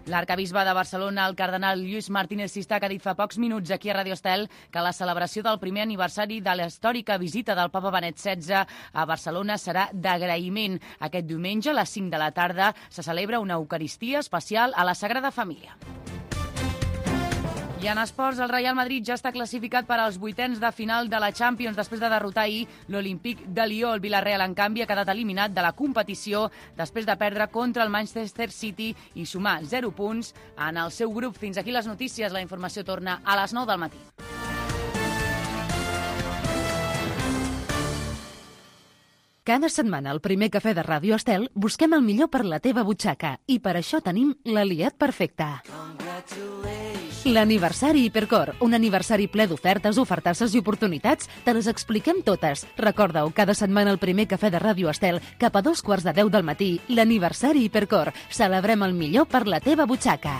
L'arcabisbe de Barcelona, el cardenal Lluís Martínez Sistac, ha dit fa pocs minuts aquí a Ràdio Estel que la celebració del primer aniversari de la històrica visita del papa Benet setze a Barcelona serà d'agraïment. Aquest diumenge, a les cinc de la tarda, se celebra una eucaristia especial a la Sagrada Família. I en esports, el Real Madrid ja està classificat per als vuitens de final de la Champions després de derrotar ahir l'Olímpic de Lió. El Villarreal, en canvi, ha quedat eliminat de la competició després de perdre contra el Manchester City i sumar zero punts en el seu grup. Fins aquí les notícies. La informació torna a les nou del matí. Cada setmana al primer cafè de Ràdio Estel busquem el millor per la teva butxaca i per això tenim l'aliat perfecte. L'aniversari Hipercor, un aniversari ple d'ofertes, ofertasses i oportunitats, te les expliquem totes. Recorda-ho, cada setmana al primer cafè de Ràdio Estel, cap a dos quarts de deu del matí, l'aniversari Hipercor. Celebrem el millor per la teva butxaca.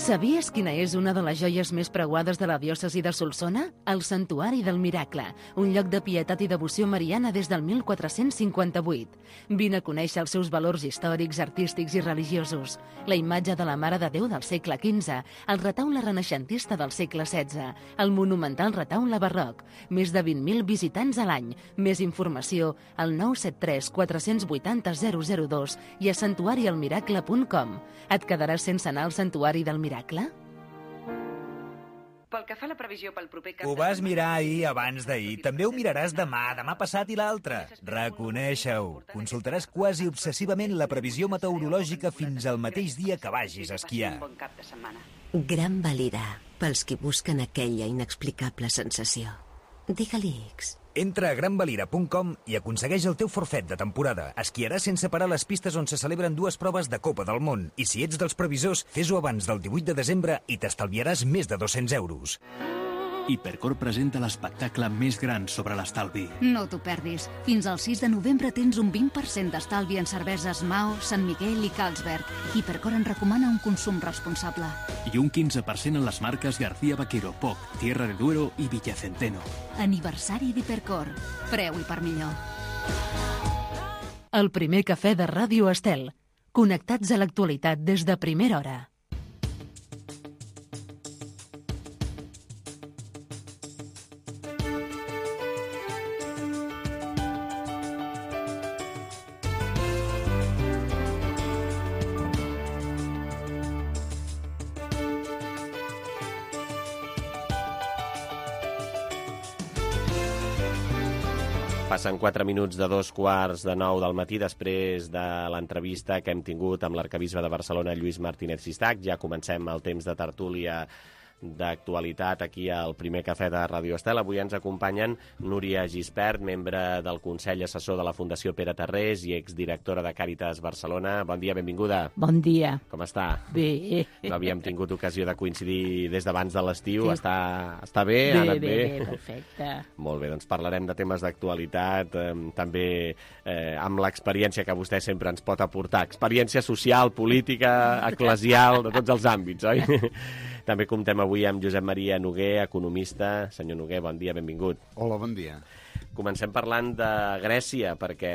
Sabies quina és una de les joies més preuades de la diòcesi de Solsona? El Santuari del Miracle, un lloc de pietat i devoció mariana des del mil quatre-cents cinquanta-vuit. Vine a conèixer els seus valors històrics, artístics i religiosos. La imatge de la Mare de Déu del segle quinze, el retaule renaixentista del segle setze, el monumental retaule barroc, més de vint mil visitants a l'any. Més informació al nou set tres quatre vuit zero zero zero dos i a santuari el miracle punt com. Et quedaràs sense anar al Santuari del Miracle? Pel que fa a la previsió pel proper cap Ho vas mirar ahir abans d'ahir. També ho miraràs demà, demà passat i l'altre. Reconeixa-ho. Consultaràs quasi obsessivament la previsió meteorològica fins al mateix dia que vagis a esquiar. Gran Valira, pels qui busquen aquella inexplicable sensació. Digue-li X. Entra a gran valira punt com i aconsegueix el teu forfet de temporada. Esquiaràs sense parar les pistes on se celebren dues proves de Copa del Món. I si ets dels previsors, fes-ho abans del divuit de desembre i t'estalviaràs més de dos-cents euros. Hipercor presenta l'espectacle més gran sobre l'estalvi. No t'ho perdis. Fins al sis de novembre tens un vint per cent d'estalvi en cerveses Mao, Sant Miguel i Carlsberg. Hipercor en recomana un consum responsable. I un quinze per cent en les marques García Vaquero, Poc, Tierra de Duero i Villacenteno. Aniversari d'Hipercor. Preu i per millor. El primer cafè de Ràdio Estel. Connectats a l'actualitat des de primera hora. Passen quatre minuts de dos quarts de nou del matí després de l'entrevista que hem tingut amb l'arquebisbe de Barcelona, Lluís Martínez Sistac. Ja comencem el temps de tertúlia d'actualitat aquí al primer cafè de Ràdio Estel. Avui ens acompanyen Núria Gispert, membre del Consell Assessor de la Fundació Pere Tarrés i exdirectora de Càritas Barcelona. Bon dia, benvinguda. Bon dia. Com està? Bé. No havíem tingut ocasió de coincidir des d'abans de l'estiu. Sí. Està, està bé? Bé, ha anat bé, bé? bé, perfecte. Molt bé, doncs parlarem de temes d'actualitat, eh, també eh, amb l'experiència que vostè sempre ens pot aportar. Experiència social, política, eclesial, de tots els àmbits, oi? També comptem avui amb Josep Maria Noguer, economista. Senyor Noguer, bon dia, benvingut. Hola, bon dia. Comencem parlant de Grècia, perquè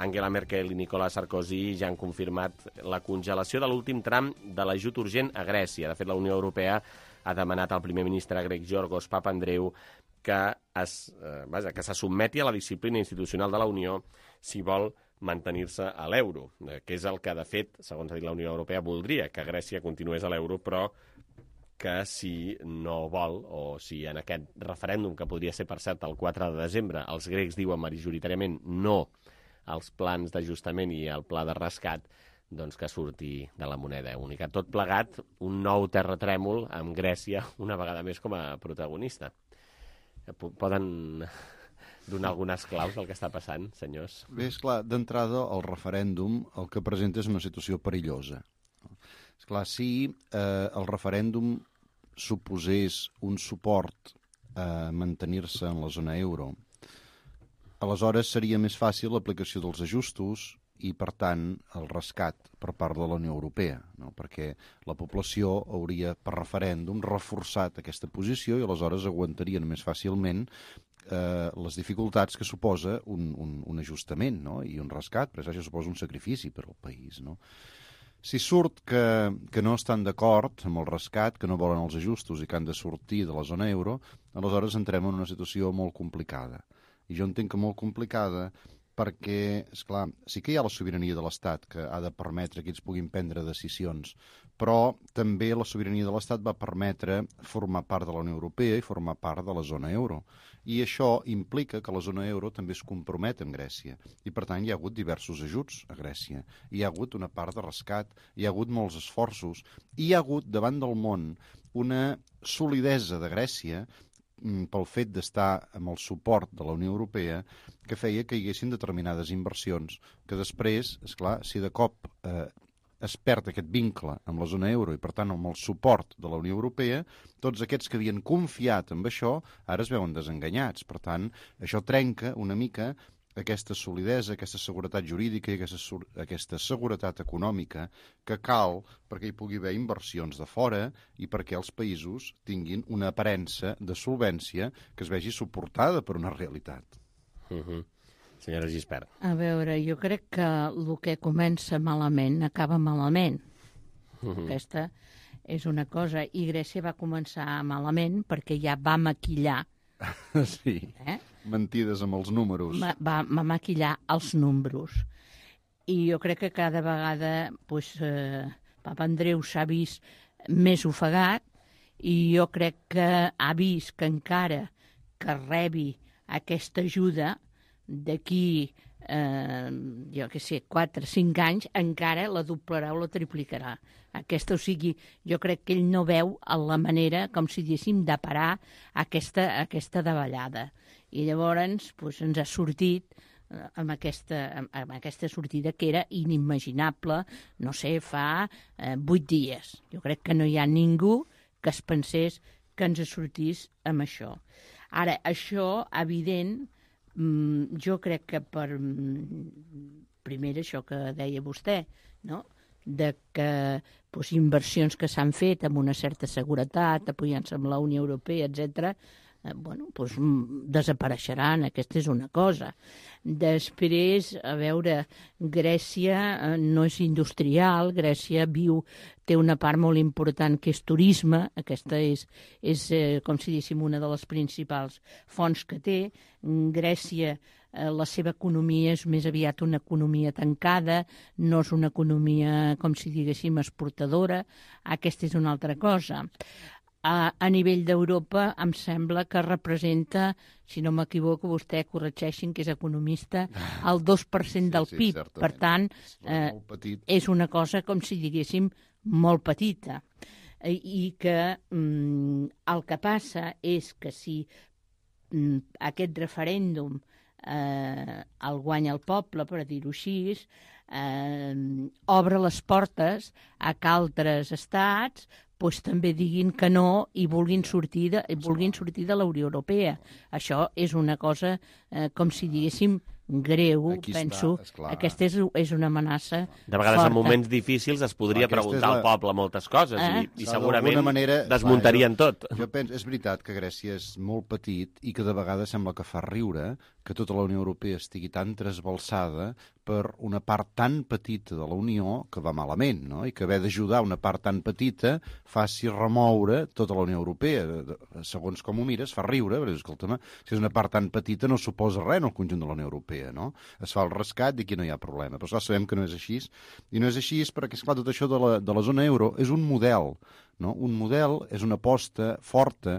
Angela Merkel i Nicolas Sarkozy ja han confirmat la congelació de l'últim tram de l'ajut urgent a Grècia. De fet, la Unió Europea ha demanat al primer ministre grec Giorgos Papandreou que, es, eh, vaja, que se sotmeti a la disciplina institucional de la Unió si vol mantenir-se a l'euro, que és el que, de fet, segons ha dit la Unió Europea, voldria, que Grècia continués a l'euro, però que si no vol, o si en aquest referèndum, que podria ser, per cert, el quatre de desembre, els grecs diuen majoritàriament no als plans d'ajustament i al pla de rescat, doncs que surti de la moneda única. Tot plegat, un nou terratrèmol amb Grècia, una vegada més com a protagonista. Poden donar algunes claus del que està passant, senyors? Bé, esclar, d'entrada, el referèndum el que presenta és una situació perillosa. Esclar, si eh, el referèndum suposés un suport a mantenir-se en la zona euro, aleshores seria més fàcil l'aplicació dels ajustos i, per tant, el rescat per part de la Unió Europea, no? Perquè la població hauria, per referèndum, reforçat aquesta posició i aleshores aguantarien més fàcilment eh, les dificultats que suposa un, un, un ajustament, no? I un rescat, perquè això suposa un sacrifici per al país, no? Si surt que, que no estan d'acord amb el rescat, que no volen els ajustos i que han de sortir de la zona euro, aleshores entrem en una situació molt complicada. I jo entenc que molt complicada perquè, esclar, sí que hi ha la sobirania de l'Estat que ha de permetre que ells puguin prendre decisions, però també la sobirania de l'Estat va permetre formar part de la Unió Europea i formar part de la zona euro. I això implica que la zona euro també es compromet amb Grècia. I, per tant, hi ha hagut diversos ajuts a Grècia. Hi ha hagut una part de rescat, hi ha hagut molts esforços, i hi ha hagut, davant del món, una solidesa de Grècia pel fet d'estar amb el suport de la Unió Europea que feia que hi haguessin determinades inversions que després, esclar, si de cop eh, es perd aquest vincle amb la zona euro i, per tant, amb el suport de la Unió Europea, tots aquests que havien confiat en això ara es veuen desenganyats. Per tant, això trenca una mica aquesta solidesa, aquesta seguretat jurídica i aquesta, aquesta seguretat econòmica que cal perquè hi pugui haver inversions de fora i perquè els països tinguin una aparença de solvència que es vegi suportada per una realitat. Uh-huh. Senyora Gispert. A veure, jo crec que el que comença malament acaba malament. Uh-huh. Aquesta és una cosa. I Grècia va començar malament perquè ja va maquillar. Sí, eh? Mentides amb els números. Va, va, va maquillar els números. I jo crec que cada vegada pues, eh, Papandreou s'ha vist més ofegat i jo crec que ha vist que encara que rebi aquesta ajuda d'aquí, eh, jo què sé, quatre o cinc anys, encara la doblarà o la triplicarà. Aquesta, o sigui, jo crec que ell no veu la manera, com si diguéssim, de parar aquesta, aquesta davallada. I llavors pues, ens ha sortit eh, amb, aquesta, amb, amb aquesta sortida que era inimaginable, no sé, fa eh, vuit dies. Jo crec que no hi ha ningú que es pensés que ens sortís amb això. Ara, això, evident, mm, jo crec que per... Primer, això que deia vostè, no?, de que pues, inversions que s'han fet amb una certa seguretat, apoyant-se amb la Unió Europea, etcètera, eh, bueno, pues, desapareixeran. Aquesta és una cosa. Després, a veure, Grècia eh, no és industrial, Grècia viu, té una part molt important que és turisme, aquesta és, és eh, com si diguéssim, una de les principals fonts que té. Grècia, eh, la seva economia és més aviat una economia tancada, no és una economia, com si diguéssim, exportadora. Aquesta és una altra cosa. a, a nivell d'Europa em sembla que representa, si no m'equivoco, vostè corregeixin que és economista, el dos per cent del sí, P I B. certament. Per tant, eh, és una cosa, com si diguéssim, molt petita. I, i que mm, el que passa és que si mm, aquest referèndum eh, el guanya el poble, per dir-ho així, eh, obre les portes a que altres estats pues, també diguin que no i vulguin sortir de, vulguin sortir de la Unió Europea. Això és una cosa, eh, com si diguéssim, greu, Aquí penso. està, esclar. Aquesta és, és una amenaça De vegades, forta. en moments difícils, es podria Aquesta preguntar és la- al poble moltes coses Eh? i, i S'ha segurament d'alguna manera- desmuntarien Clar, tot. Jo penso, és veritat que Grècia és molt petit i que de vegades sembla que fa riure que tota la Unió Europea estigui tan trasbalsada per una part tan petita de la Unió que va malament, no? I que haver d'ajudar una part tan petita faci remoure tota la Unió Europea. Segons com ho mires, fa riure, però escolta'm, si és una part tan petita no suposa res en el conjunt de la Unió Europea, no? Es fa el rescat i aquí no hi ha problema. Però esclar, sabem que no és així. I no és així perquè, esclar, tot això de la, de la zona euro és un model, no? Un model és una aposta forta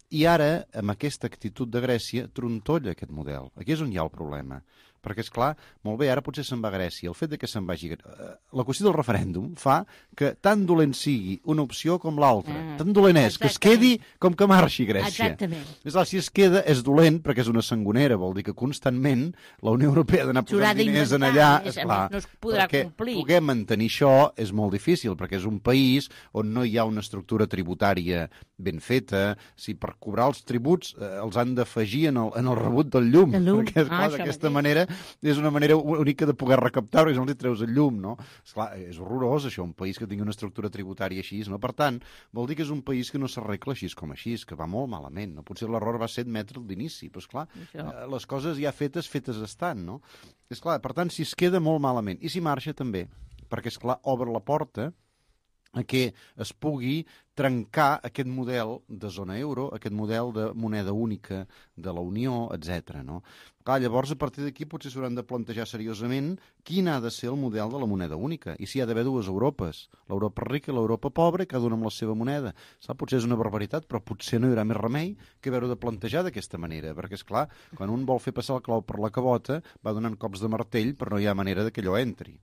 i ara, amb aquesta actitud de Grècia, trontolla aquest model. Aquí és on hi ha el problema. Perquè, és clar, molt bé, ara potser se'n va a Grècia. El fet de que se'n vagi... La qüestió del referèndum fa que tan dolent sigui una opció com l'altra. Ah, tan dolent és que es quedi com que marxi Grècia. Exactament. És clar, si es queda és dolent perquè és una sangonera. Vol dir que constantment la Unió Europea ha d'anar S'haurà posant diners en d'inventar, allà. és- a Esclar, més, no es podrà perquè complir. poder mantenir això és molt difícil, perquè és un país on no hi ha una estructura tributària ben feta. Si per cobrar els tributs eh, els han d'afegir en, el, en el rebut del llum. El llum. Perquè, esclar, Ah, això d'aquesta mateix. manera és una manera única de poder recaptar perquè si no li treus el llum, no? Esclar, és horrorós això, un país que tingui una estructura tributària així, no? Per tant, vol dir que és un país que no s'arregla així com així, que va molt malament, no? Potser l'error va ser admetre'l d'inici, però esclar, Això. eh, les coses ja fetes, fetes estan, no? Esclar, per tant, si es queda molt malament, i si marxa també, perquè esclar, obre la porta a que es pugui trencar aquest model de zona euro, aquest model de moneda única de la Unió, etcètera. No? Clar, llavors, a partir d'aquí, potser s'hauran de plantejar seriosament quin ha de ser el model de la moneda única. I si hi ha d'haver dues Europes, l'Europa rica i l'Europa pobra, cada una amb la seva moneda. Sap, potser és una barbaritat, però potser no hi haurà més remei que haver-ho de plantejar d'aquesta manera, perquè, és clar, quan un vol fer passar el clau per la cabota, va donant cops de martell, però no hi ha manera de que allò entri.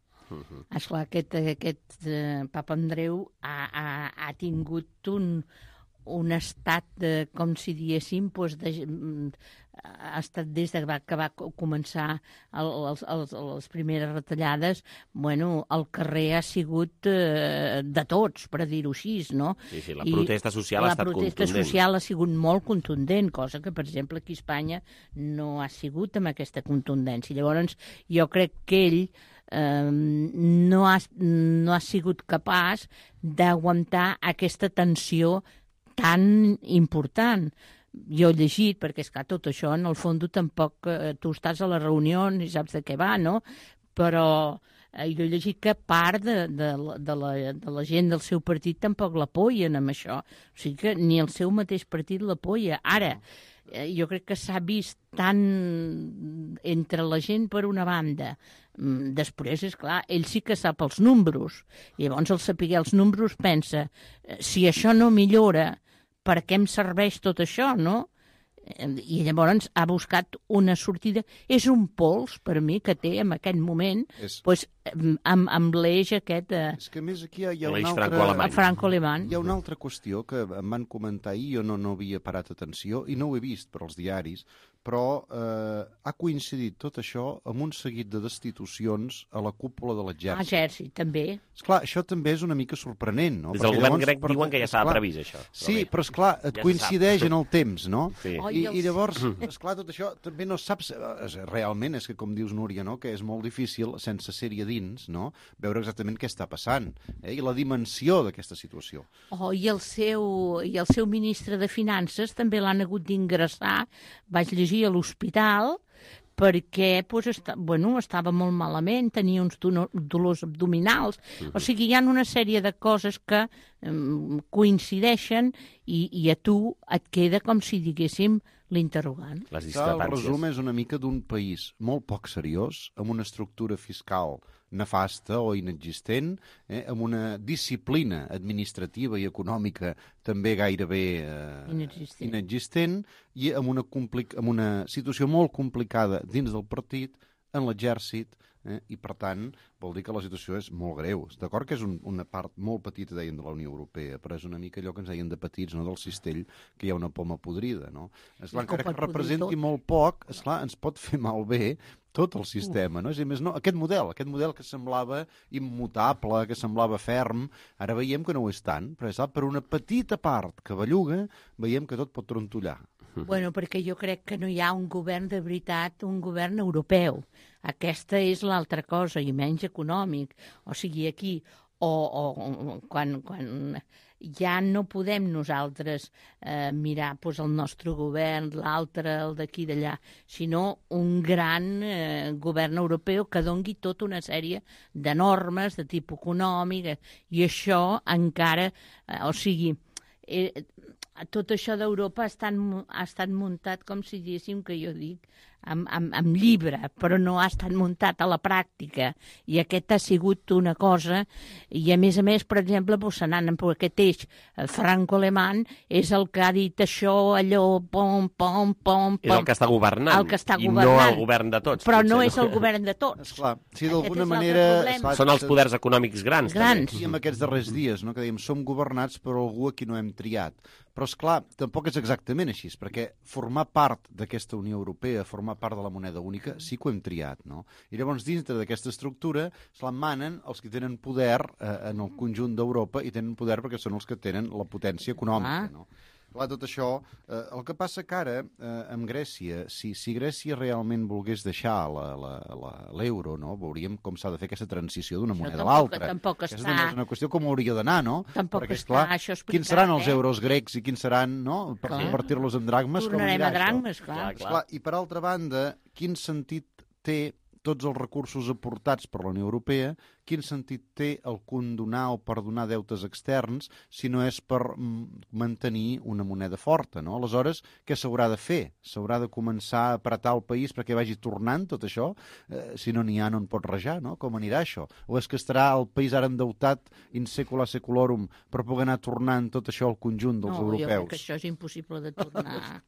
Esclar, aquest, aquest eh, Papa Andreu ha, ha, ha tingut un, un estat, de, com si diguéssim, doncs de, ha estat des de va, que va començar el, els, els, les primeres retallades, bueno, el carrer ha sigut eh, de tots, per dir-ho així, no? Sí, sí, la protesta social ha estat contundent. La protesta social ha sigut molt contundent, cosa que, per exemple, aquí a Espanya no ha sigut amb aquesta contundència. Llavors, jo crec que ell eh, no, ha, no ha sigut capaç d'aguantar aquesta tensió tan important. Jo he llegit, perquè és que tot això, en el fons, tampoc eh, tu estàs a la reunió i saps de què va, no? Però eh, jo he llegit que part de, de, de, la, de la gent del seu partit tampoc l'apoyen amb això. O sigui que ni el seu mateix partit l'apoya. Ara, eh, jo crec que s'ha vist tant entre la gent per una banda. Després, és clar, ell sí que sap els números. I llavors, al saber els números, pensa, si això no millora, per què em serveix tot això, no? I llavors ha buscat una sortida. És un pols, per mi, que té en aquest moment, és... pues, amb, amb l'eix aquest... Eh... És que a més aquí hi ha, hi ha l'eix una altra... franco-alemany. Franco-alemany. Hi ha una altra qüestió que em van comentar ahir, jo no, no havia parat atenció i no ho he vist per als diaris, però eh, ha coincidit tot això amb un seguit de destitucions a la cúpula de l'exèrcit. L'exèrcit, també. Esclar, això també és una mica sorprenent, no? Des del Perquè govern llavors, grec per... diuen que ja estava previst, això. Sí, però, però esclar, et ja coincideix en el temps, no? Sí. I, I llavors, esclar, tot això també no saps... Realment és que, com dius, Núria, no? Que és molt difícil, sense ser-hi a dins, no? Veure exactament què està passant, eh? I la dimensió d'aquesta situació. Oh, i el seu, i el seu ministre de Finances també l'han hagut d'ingressar, vaig llegir a l'hospital, perquè pues, està, bueno, estava molt malament, tenia uns dolors abdominals. Uh-huh. O sigui, hi ha una sèrie de coses que um, coincideixen i, i a tu et queda com si diguéssim l'interrogant. Les discrepàncies. El resum és una mica d'un país molt poc seriós, amb una estructura fiscal nefasta o inexistent, eh, amb una disciplina administrativa i econòmica també gairebé eh, inexistent. inexistent i amb una, complic amb una situació molt complicada dins del partit, en l'exèrcit, eh, i per tant vol dir que la situació és molt greu. D'acord que és un, una part molt petita, deien, de la Unió Europea, però és una mica allò que ens deien de petits, no? Del cistell, que hi ha una poma podrida, no? Esclar, encara que representi molt poc, esclar, ens pot fer malbé tot el sistema, no? És a dir, més no, aquest model, aquest model que semblava immutable, que semblava ferm, ara veiem que no ho és tant, però és, per una petita part que belluga, veiem que tot pot trontollar. Bueno, perquè jo crec que no hi ha un govern de veritat, un govern europeu. Aquesta és l'altra cosa, i menys econòmic. O sigui, aquí, o, o quan, quan ja no podem nosaltres eh, mirar pues, el nostre govern, l'altre, el d'aquí i d'allà, sinó un gran eh, govern europeu que dongui tota una sèrie de normes de tipus econòmic, i això encara, eh, o sigui, eh, tot això d'Europa ha, estat, ha estat muntat, com si diguéssim, que jo dic, amb, amb, amb llibre, però no ha estat muntat a la pràctica. I aquest ha sigut una cosa, i a més a més, per exemple, doncs, anant per aquest eix franco-alemany, és el que ha dit això, allò, pom, pom, pom, pom. És el que està governant, el que està i governant. no el govern de tots. Però potser, no és el govern de tots. Esclar, sí, d'alguna manera... Esclar, són els poders econòmics grans. grans. I en aquests darrers dies, no, que dèiem, som governats per algú a qui no hem triat. Però, esclar, tampoc és exactament així, perquè formar part d'aquesta Unió Europea, formar part de la moneda única, sí que ho hem triat, no? I llavors, dintre d'aquesta estructura, se la manen els que tenen poder eh, en el conjunt d'Europa, i tenen poder perquè són els que tenen la potència econòmica, no? Clar, tot això, eh, el que passa que ara, eh, amb Grècia, si, si Grècia realment volgués deixar l'euro, no? Veuríem com s'ha de fer aquesta transició d'una moneda a l'altra. Tampoc està... Aquesta és una qüestió com hauria d'anar, no? Tampoc Perquè, està esclar, això explicat, quins seran els eh? euros grecs i quins seran, no? Per convertir-los en dracmes, com Tornarem anirà a dracmes, això? clar. Clar, clar. I per altra banda, quin sentit té tots els recursos aportats per la Unió Europea, quin sentit té el condonar o perdonar deutes externs si no és per mantenir una moneda forta, no? Aleshores, què s'haurà de fer? S'haurà de començar a apretar el país perquè vagi tornant tot això? Eh, si no n'hi ha, no en pot rajar, no? Com anirà això? O és que estarà el país ara endeutat in secula seculorum per poder anar tornant tot això al conjunt dels no, europeus? No, jo crec que això és impossible de tornar.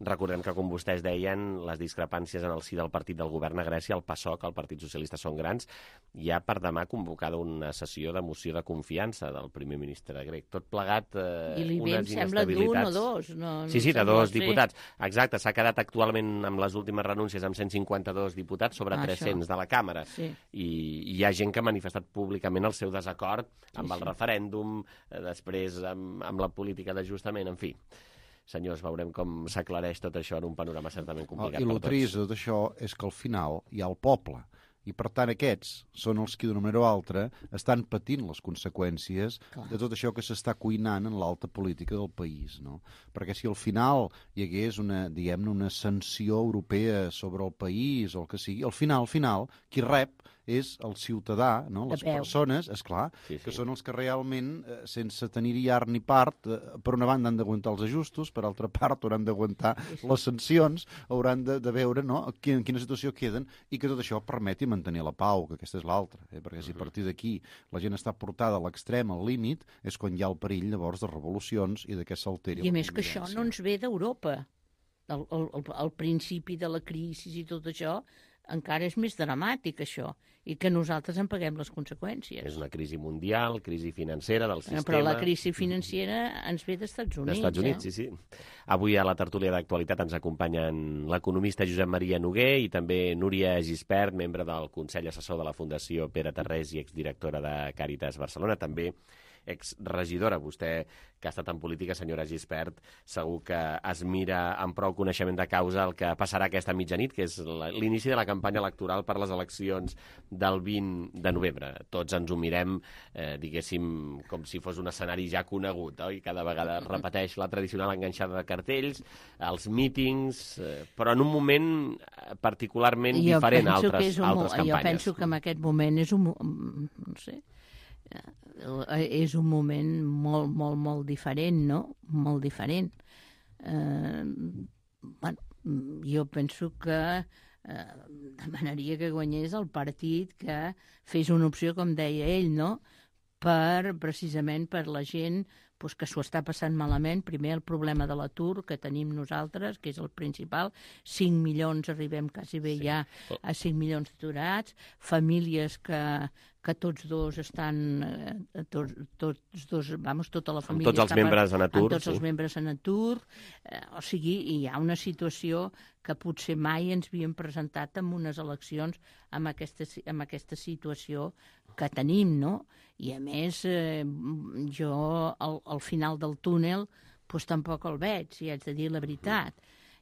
Recordem que, com vostès deien, les discrepàncies en el si del partit del govern a Grècia, el PASOK, el Partit Socialista, són grans. Hi ha per demà convocada una sessió de moció de confiança del primer ministre grec. Tot plegat, eh, I li unes ve, sembla, d'un o dos. No, sí, sí, de no dos diputats. Exacte, s'ha quedat actualment amb les últimes renúncies amb cent cinquanta-dos diputats sobre ah, tres-cents això. De la Càmera. Sí. I, I hi ha gent que ha manifestat públicament el seu desacord amb sí, el sí. referèndum, eh, després amb, amb la política d'ajustament, en fi. Senyors, veurem com s'aclareix tot això en un panorama certament complicat oh, per tots. I el trist de tot això és que al final hi ha el poble. I, per tant, aquests són els que, d'una manera o altra, estan patint les conseqüències Clar. De tot això que s'està cuinant en l'alta política del país, no? Perquè si al final hi hagués una, diguem-ne, una sanció europea sobre el país o el que sigui, al final, al final, qui rep és el ciutadà, no? Les persones, esclar, sí, sí. que són els que realment, eh, sense tenir-hi art ni part, eh, per una banda han d'aguantar els ajustos, per altra part hauran d'aguantar sí, sí. les sancions, hauran de, de veure no, en quina situació queden i que tot això permeti mantenir la pau, que aquesta és l'altra. Eh? Perquè si a partir d'aquí la gent està portada a l'extrem, al límit, és quan hi ha el perill llavors de revolucions i de que s'alteri la convivència. I a més que això no ens ve d'Europa. El, el, el, el principi de la crisi i tot això encara és més dramàtic, això, i que nosaltres en paguem les conseqüències. És una crisi mundial, crisi financera del sistema... Però la crisi financera ens ve d'Estats Units. D'Estats Units, eh? sí, sí. Avui a la tertúlia d'actualitat ens acompanyen l'economista Josep Maria Noguer i també Núria Gispert, membre del Consell Assessor de la Fundació Pere Tarrés i exdirectora de Càritas Barcelona, també exregidora. Vostè, que ha estat en política, senyora Gispert, segur que es mira amb prou coneixement de causa el que passarà aquesta mitjanit, que és l'inici de la campanya electoral per les eleccions del vint de novembre. Tots ens ho mirem, eh, diguéssim, com si fos un escenari ja conegut, oi? Cada vegada es repeteix la tradicional enganxada de cartells, els mítings, eh, però en un moment particularment jo diferent a altres, un, altres campanyes. Jo penso que en aquest moment és un... no sé... és un moment molt, molt, molt diferent, no? Molt diferent. Eh, bueno, jo penso que eh, demanaria que guanyés el partit que fes una opció, com deia ell, no?, per, precisament per la gent pues, que s'ho està passant malament. Primer, el problema de l'atur que tenim nosaltres, que és el principal. cinc milions, arribem quasi bé sí. ja a cinc milions d'aturats. Famílies que, que tots dos estan... Eh, tots, tots dos, vamos, tota la família... Amb tots els membres en atur. Amb tots sí. els membres en atur. Eh, o sigui, hi ha una situació que potser mai ens havíem presentat en unes eleccions amb aquesta, amb aquesta situació que tenim, no? I a més, eh, jo al, al final del túnel pues, tampoc el veig, si haig de dir la veritat.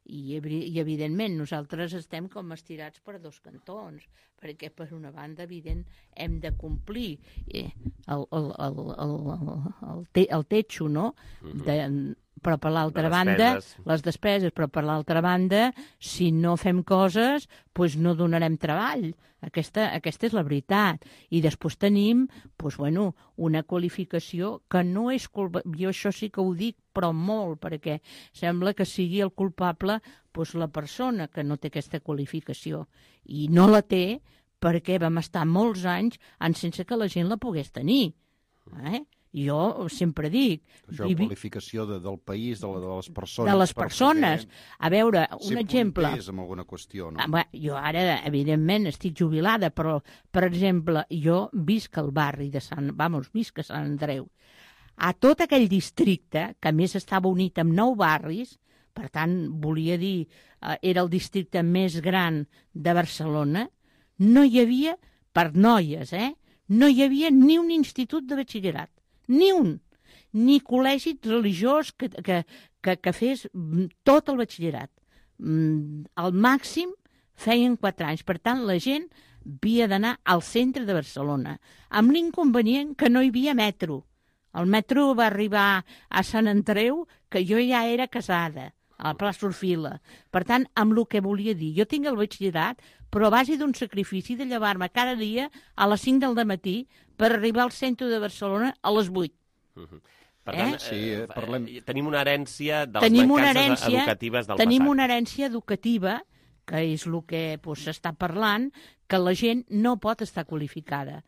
I, I evidentment nosaltres estem com estirats per dos cantons, perquè per una banda, evident, hem de complir eh, el, el, el, el, el, te, el techo, no? De, però per l'altra banda, les despeses, però per l'altra banda, si no fem coses, doncs no donarem treball. Aquesta, aquesta és la veritat. I després tenim, doncs, bueno, una qualificació que no és culpable. Jo això sí que ho dic, però molt, perquè sembla que sigui el culpable doncs, la persona que no té aquesta qualificació. I no la té perquè vam estar molts anys en sense que la gent la pogués tenir. Eh? Jo sempre dic... Això, la qualificació de, del país, de, la, de les persones... De les persones. A veure, un exemple... Ser punters en alguna qüestió, no? Ah, bé, jo ara, evidentment, estic jubilada, però, per exemple, jo visc al barri de Sant... Vamos, visc a Sant Andreu. A tot aquell districte, que a més estava unit amb nou barris, per tant, volia dir, eh, era el districte més gran de Barcelona, no hi havia, per noies, eh? No hi havia ni un institut de batxillerat. Ni un, ni col·legi religiós que, que, que, que fes tot el batxillerat. Al màxim feien quatre anys. Per tant, la gent havia d'anar al centre de Barcelona, amb l'inconvenient que no hi havia metro. El metro va arribar a Sant Andreu, que jo ja era casada, a la plaça Orfila. Per tant, amb el que volia dir, jo tinc el batxillerat, però a base d'un sacrifici de llevar-me cada dia a les cinc del matí per arribar al centre de Barcelona a les vuit. Uh-huh. Per tant, eh? sí, eh, parlem... tenim una herència de les tenim mancances herència, educatives del tenim passat. una herència educativa, que és el que s'està doncs, parlant, que la gent no pot estar qualificada.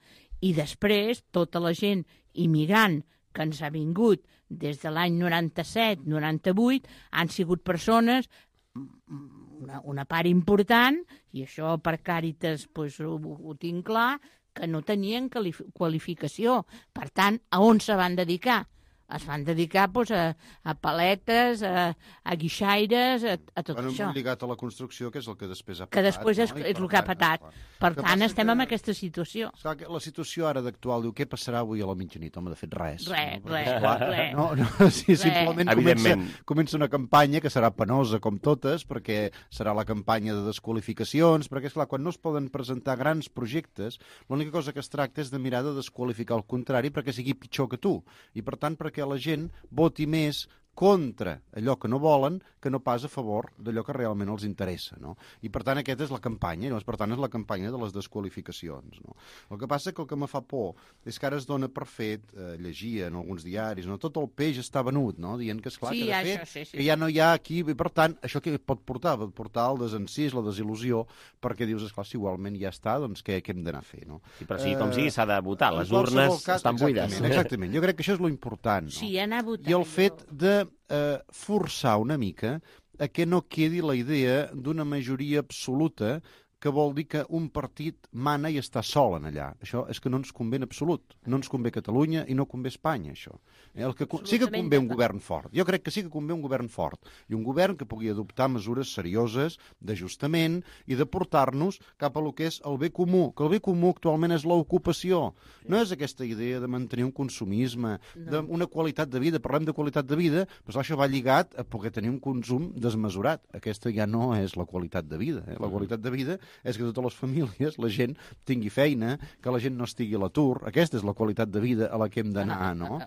I després, tota la gent immigrant que ens ha vingut des de l'any noranta-set noranta-vuit han sigut persones, una, una part important, i això per Càritas doncs, ho, ho tinc clar, que no tenien qualificació. Per tant, a on se van dedicar? Es van dedicar doncs, a, a paletes, a, a guixaires, a, a tot bueno, això. Lligat a la construcció, que és el que després ha patat. Que després és, no? és el que ha patat. Per que tant, estem que... en aquesta situació. Esclar, la situació ara d'actual diu, què passarà avui a la mitjanit? Home, de fet, res. Res, no? res, res. No, no, sí, res. simplement comença, comença una campanya que serà penosa com totes, perquè serà la campanya de desqualificacions, perquè, esclar, quan no es poden presentar grans projectes, l'única cosa que es tracta és de mirar de desqualificar el contrari perquè sigui pitjor que tu. I, per tant, perquè la gent voti més contra allò que no volen que no pas a favor d'allò que realment els interessa, no? I per tant aquesta és la campanya, no? Per tant és la campanya de les desqualificacions, no? El que passa que el que me fa por és que ara es dona per fet, eh, llegia en alguns diaris, no? Tot el peix està venut, no? Dient que esclar, sí, que de això, fet sí, sí. que ja no hi ha aquí, i per tant això què pot portar? Pot portar el desencís, la desil·lusió, perquè dius, esclar, si igualment ja està, doncs què, què hem d'anar a fer, no? Sí, però sí, com sigui, s'ha de votar, les en urnes cas, estan buides. Exactament, exactament, jo crec que això és lo important, no? Sí, anar a votar. I el fet de Eh, forçar una mica a que no quedi la idea d'una majoria absoluta que vol dir que un partit mana i està sol en allà. Això és que no ens convé en absolut. No ens convé Catalunya i no convé Espanya, això. Eh, el que, sí que convé un govern fort. Jo crec que sí que convé un govern fort. I un govern que pugui adoptar mesures serioses d'ajustament i de portar-nos cap a lo que és el bé comú. Que el bé comú actualment és l'ocupació. No és aquesta idea de mantenir un consumisme, no. D'una qualitat de vida. Parlem de qualitat de vida, però això va lligat a poder tenir un consum desmesurat. Aquesta ja no és la qualitat de vida. Eh? La qualitat de vida és que totes les famílies, la gent tingui feina, que la gent no estigui a l'atur. Aquesta és la qualitat de vida a la que hem d'anar, no?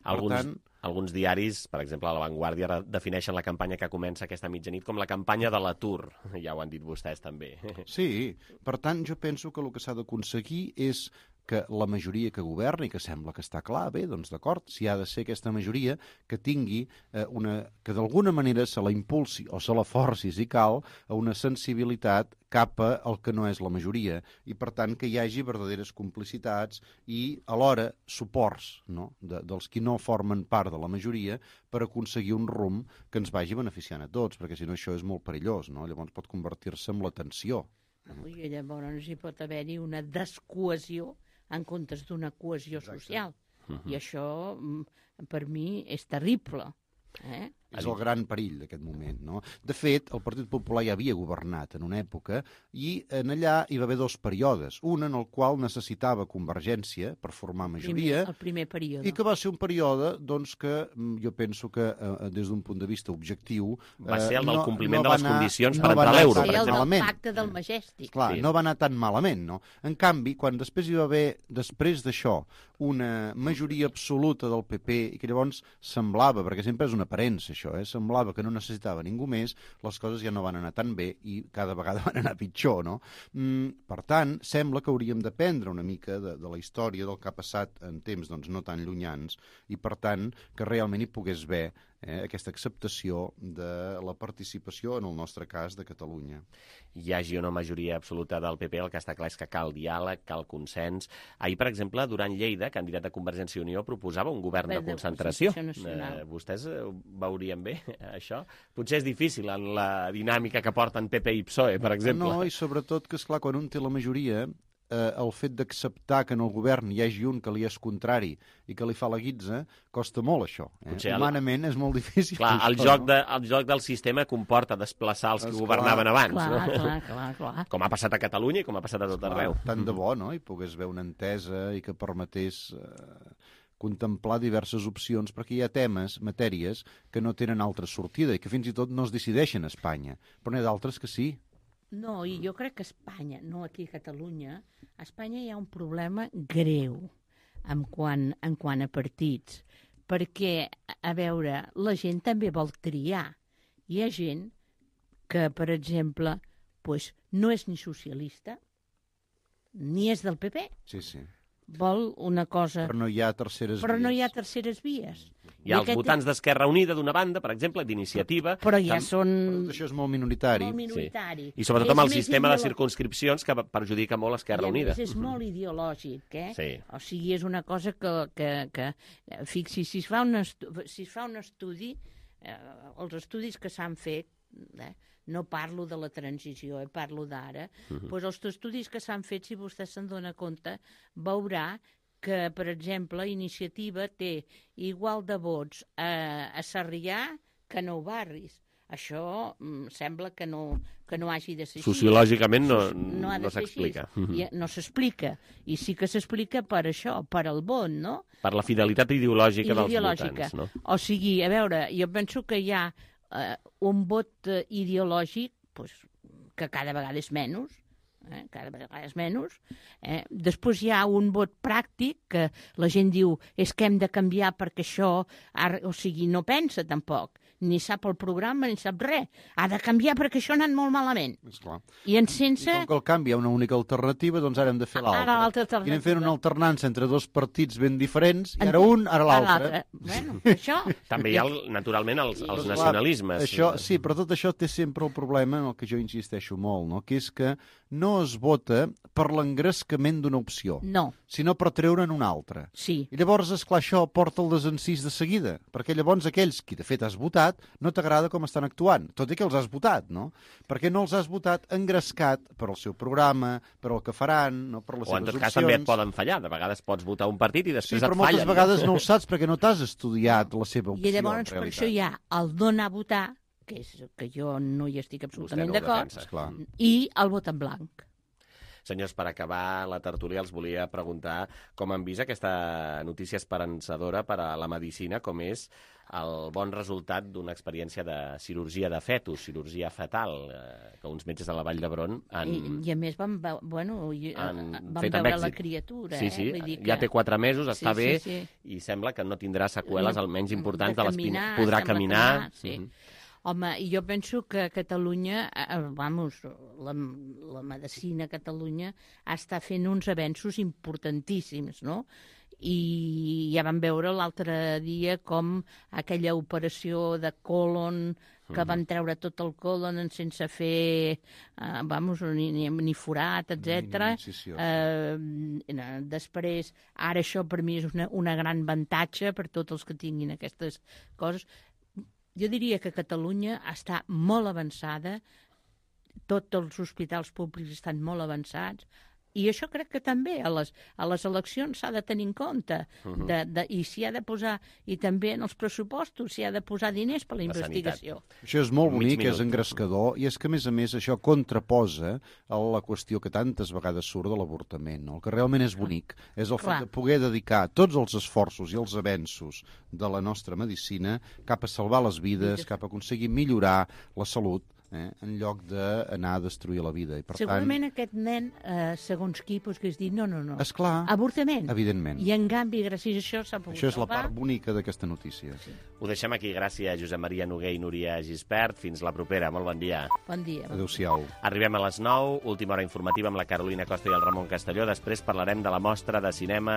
Alguns, tant... alguns diaris, per exemple, a La Vanguardia, defineixen la campanya que comença aquesta mitjanit com la campanya de l'atur. Ja ho han dit vostès, també. Sí, per tant, jo penso que el que s'ha d'aconseguir és que la majoria que governa, i que sembla que està clar, bé, doncs d'acord, si ha de ser aquesta majoria que tingui eh, una... que d'alguna manera se la impulsi o se la forci, si cal, a una sensibilitat cap al que no és la majoria, i per tant que hi hagi verdaderes complicitats i alhora suports, no?, de, dels qui no formen part de la majoria per aconseguir un rumb que ens vagi beneficiant a tots, perquè si no això és molt perillós, no? Llavors pot convertir-se en la tensió. I llavors hi pot haver-hi una descohesió en comptes d'una cohesió social. Uh-huh. I això, per mi, és terrible. Eh? És el gran perill d'aquest moment, no? De fet, el Partit Popular ja havia governat en una època i en allà hi va haver dos períodes. Un en el qual necessitava convergència per formar majoria. El primer període. I que va ser un període, doncs, que jo penso que eh, des d'un punt de vista objectiu... Va ser el del no, compliment no de les anar, condicions no per entrar a l'euro. Va ser el del pacte del Majestic. Clar, sí. No va anar tan malament, no? En canvi, quan després hi va haver, després d'això, una majoria absoluta del P P, i que llavors semblava, perquè sempre és una aparença això, eh? Semblava que no necessitava ningú més, les coses ja no van anar tan bé i cada vegada van anar pitjor, no? Mm, per tant, sembla que hauríem d'aprendre una mica de, de la història del que ha passat en temps doncs, no tan llunyans i, per tant, que realment hi pogués haver eh, aquesta acceptació de la participació, en el nostre cas, de Catalunya. Hi hagi una majoria absoluta del P P, el que està clar és que cal diàleg, cal consens. Ahir, per exemple, Duran Lleida, candidat de Convergència i Unió, proposava un govern de concentració. Eh, vostès ho veurien bé, això? Potser és difícil en la dinàmica que porten P P i P S O E, per exemple. No, i sobretot que, esclar, quan un té la majoria, eh, el fet d'acceptar que en el govern hi hagi un que li és contrari i que li fa la guitza, costa molt, això. Eh? Potser Humanament és molt difícil. Clar, això, el, joc no? de, el joc del sistema comporta desplaçar els que Esclar, governaven abans. Clar, no? clar, clar, clar. Com ha passat a Catalunya i com ha passat a tot Esclar, arreu. Tant de bo, no?, hi pogués haver una entesa i que permetés eh, contemplar diverses opcions, perquè hi ha temes, matèries, que no tenen altra sortida i que fins i tot no es decideixen a Espanya, però n'hi ha d'altres que sí. No, i jo crec que a Espanya, no aquí a Catalunya, a Espanya hi ha un problema greu en quant, en quant a partits, perquè, a veure, la gent també vol triar. Hi ha gent que, per exemple, pues, no és ni socialista, ni és del P P. Sí, sí. Vol una cosa... Però no hi ha terceres Però vies. no hi ha terceres vies. Hi ha els votants d'Esquerra Unida d'una banda, per exemple, d'Iniciativa... Però ja Tam... són... Però això és molt minoritari. Molt minoritari. Sí. I sobretot amb el És sistema de ideolo... circunscripcions que perjudica molt Esquerra I Unida. I és molt ideològic, eh? Sí. O sigui, és una cosa que... que, que fixi, si es fa un, estu... si es fa un estudi, eh, els estudis que s'han fet... Eh, no parlo de la transició, eh, parlo d'ara, uh-huh. doncs els estudis que s'han fet, si vostè se'n dona compte, veurà que, per exemple, Iniciativa té igual de vots a, a Sarrià que a Nou Barris. Això mm, sembla que no, que no hagi de ser així. Sociològicament no, no, no s'explica. I, no s'explica. I sí que s'explica per això, per el vot, no? Per la fidelitat ideològica, dels ideològica. votants, no? O sigui, a veure, jo penso que hi ha Uh, un vot uh, ideològic pues, que cada vegada és menys, eh? cada vegada és menys. Eh? Després hi ha un vot pràctic que la gent diu és que hem de canviar perquè això, o sigui, no pensa tampoc, ni sap el programa ni sap res. Ha de canviar perquè això ha anat molt malament. Esclar. I en sense... I com que el canvi hi ha una única alternativa, doncs ara hem de fer l'altra. Ara l'altra alternativa. I anem fent una alternança entre dos partits ben diferents, i ara un, ara l'altre. Bueno, això... També hi ha, naturalment, els, els nacionalismes. Això, sí, però tot això té sempre el problema en el que jo insisteixo molt, no? Que és que no es vota per l'engrescament d'una opció, no. sinó per treure'n una altra. Sí. I llavors, esclar, això porta el desencís de seguida, perquè llavors aquells qui de fet has votat no t'agrada com estan actuant, tot i que els has votat, no? Perquè no els has votat engrescat per el seu programa, per el que faran, no? Per les o en seves tot opcions. cas també et poden fallar, de vegades pots votar un partit i després sí, et fallen. Sí, però moltes vegades no ho saps perquè no t'has estudiat la seva opció. I llavors per això hi ha el donar a votar, que és que jo no hi estic absolutament no d'acord, i el vot en blanc. Senyors, per acabar la tertúlia els volia preguntar com han vist aquesta notícia esperançadora per a la medicina, com és el bon resultat d'una experiència de cirurgia de fetus, cirurgia fetal, eh, que uns metges de la Vall d'Hebron han... I, I a més vam, bueno, han vam fet veure la criatura. Sí, sí, eh? Vull dir que... ja té quatre mesos, està sí, bé, sí, sí. i sembla que no tindrà seqüeles, almenys importants, de, de l'espina. caminar, Podrà caminar. caminar sí. Mm-hmm. Home, jo penso que a Catalunya, eh, vamos, la, la medicina a Catalunya està fent uns avenços importantíssims, no? I ja vam veure l'altre dia com aquella operació de colon, que van treure tot el colon sense fer, eh, vamos, ni, ni, ni forat, etcètera. Eh, després, ara això per mi és una, una gran avantatge per tots els que tinguin aquestes coses. Jo diria que Catalunya està molt avançada, tots els hospitals públics estan molt avançats, i això crec que també a les, a les eleccions s'ha de tenir en compte, uh-huh. de, de, i s'hi ha de posar, i també en els pressupostos s'hi ha de posar diners per la, la investigació. Sanitat. Això és molt bonic, és engrescador, i és que, a més a més, això contraposa a la qüestió que tantes vegades surt de l'avortament. No? El que realment és bonic és el fet de poder dedicar tots els esforços i els avenços de la nostra medicina cap a salvar les vides, cap a aconseguir millorar la salut, Eh, en lloc d'anar a destruir la vida. I per Segurament tant... aquest nen, eh, segons qui, pues, que es diu, no, no, no. Esclar, avortament. Evidentment. I en canvi, gràcies a això s'ha pogut Això és la salvar. part bonica d'aquesta notícia. Sí. Ho deixem aquí. Gràcies, Josep Maria Noguer i Núria Gispert. Fins la propera. Molt bon dia. Bon dia. Adéu-siau. Arribem a les nou, última hora informativa amb la Carolina Costa i el Ramon Castelló. Després parlarem de la mostra de cinema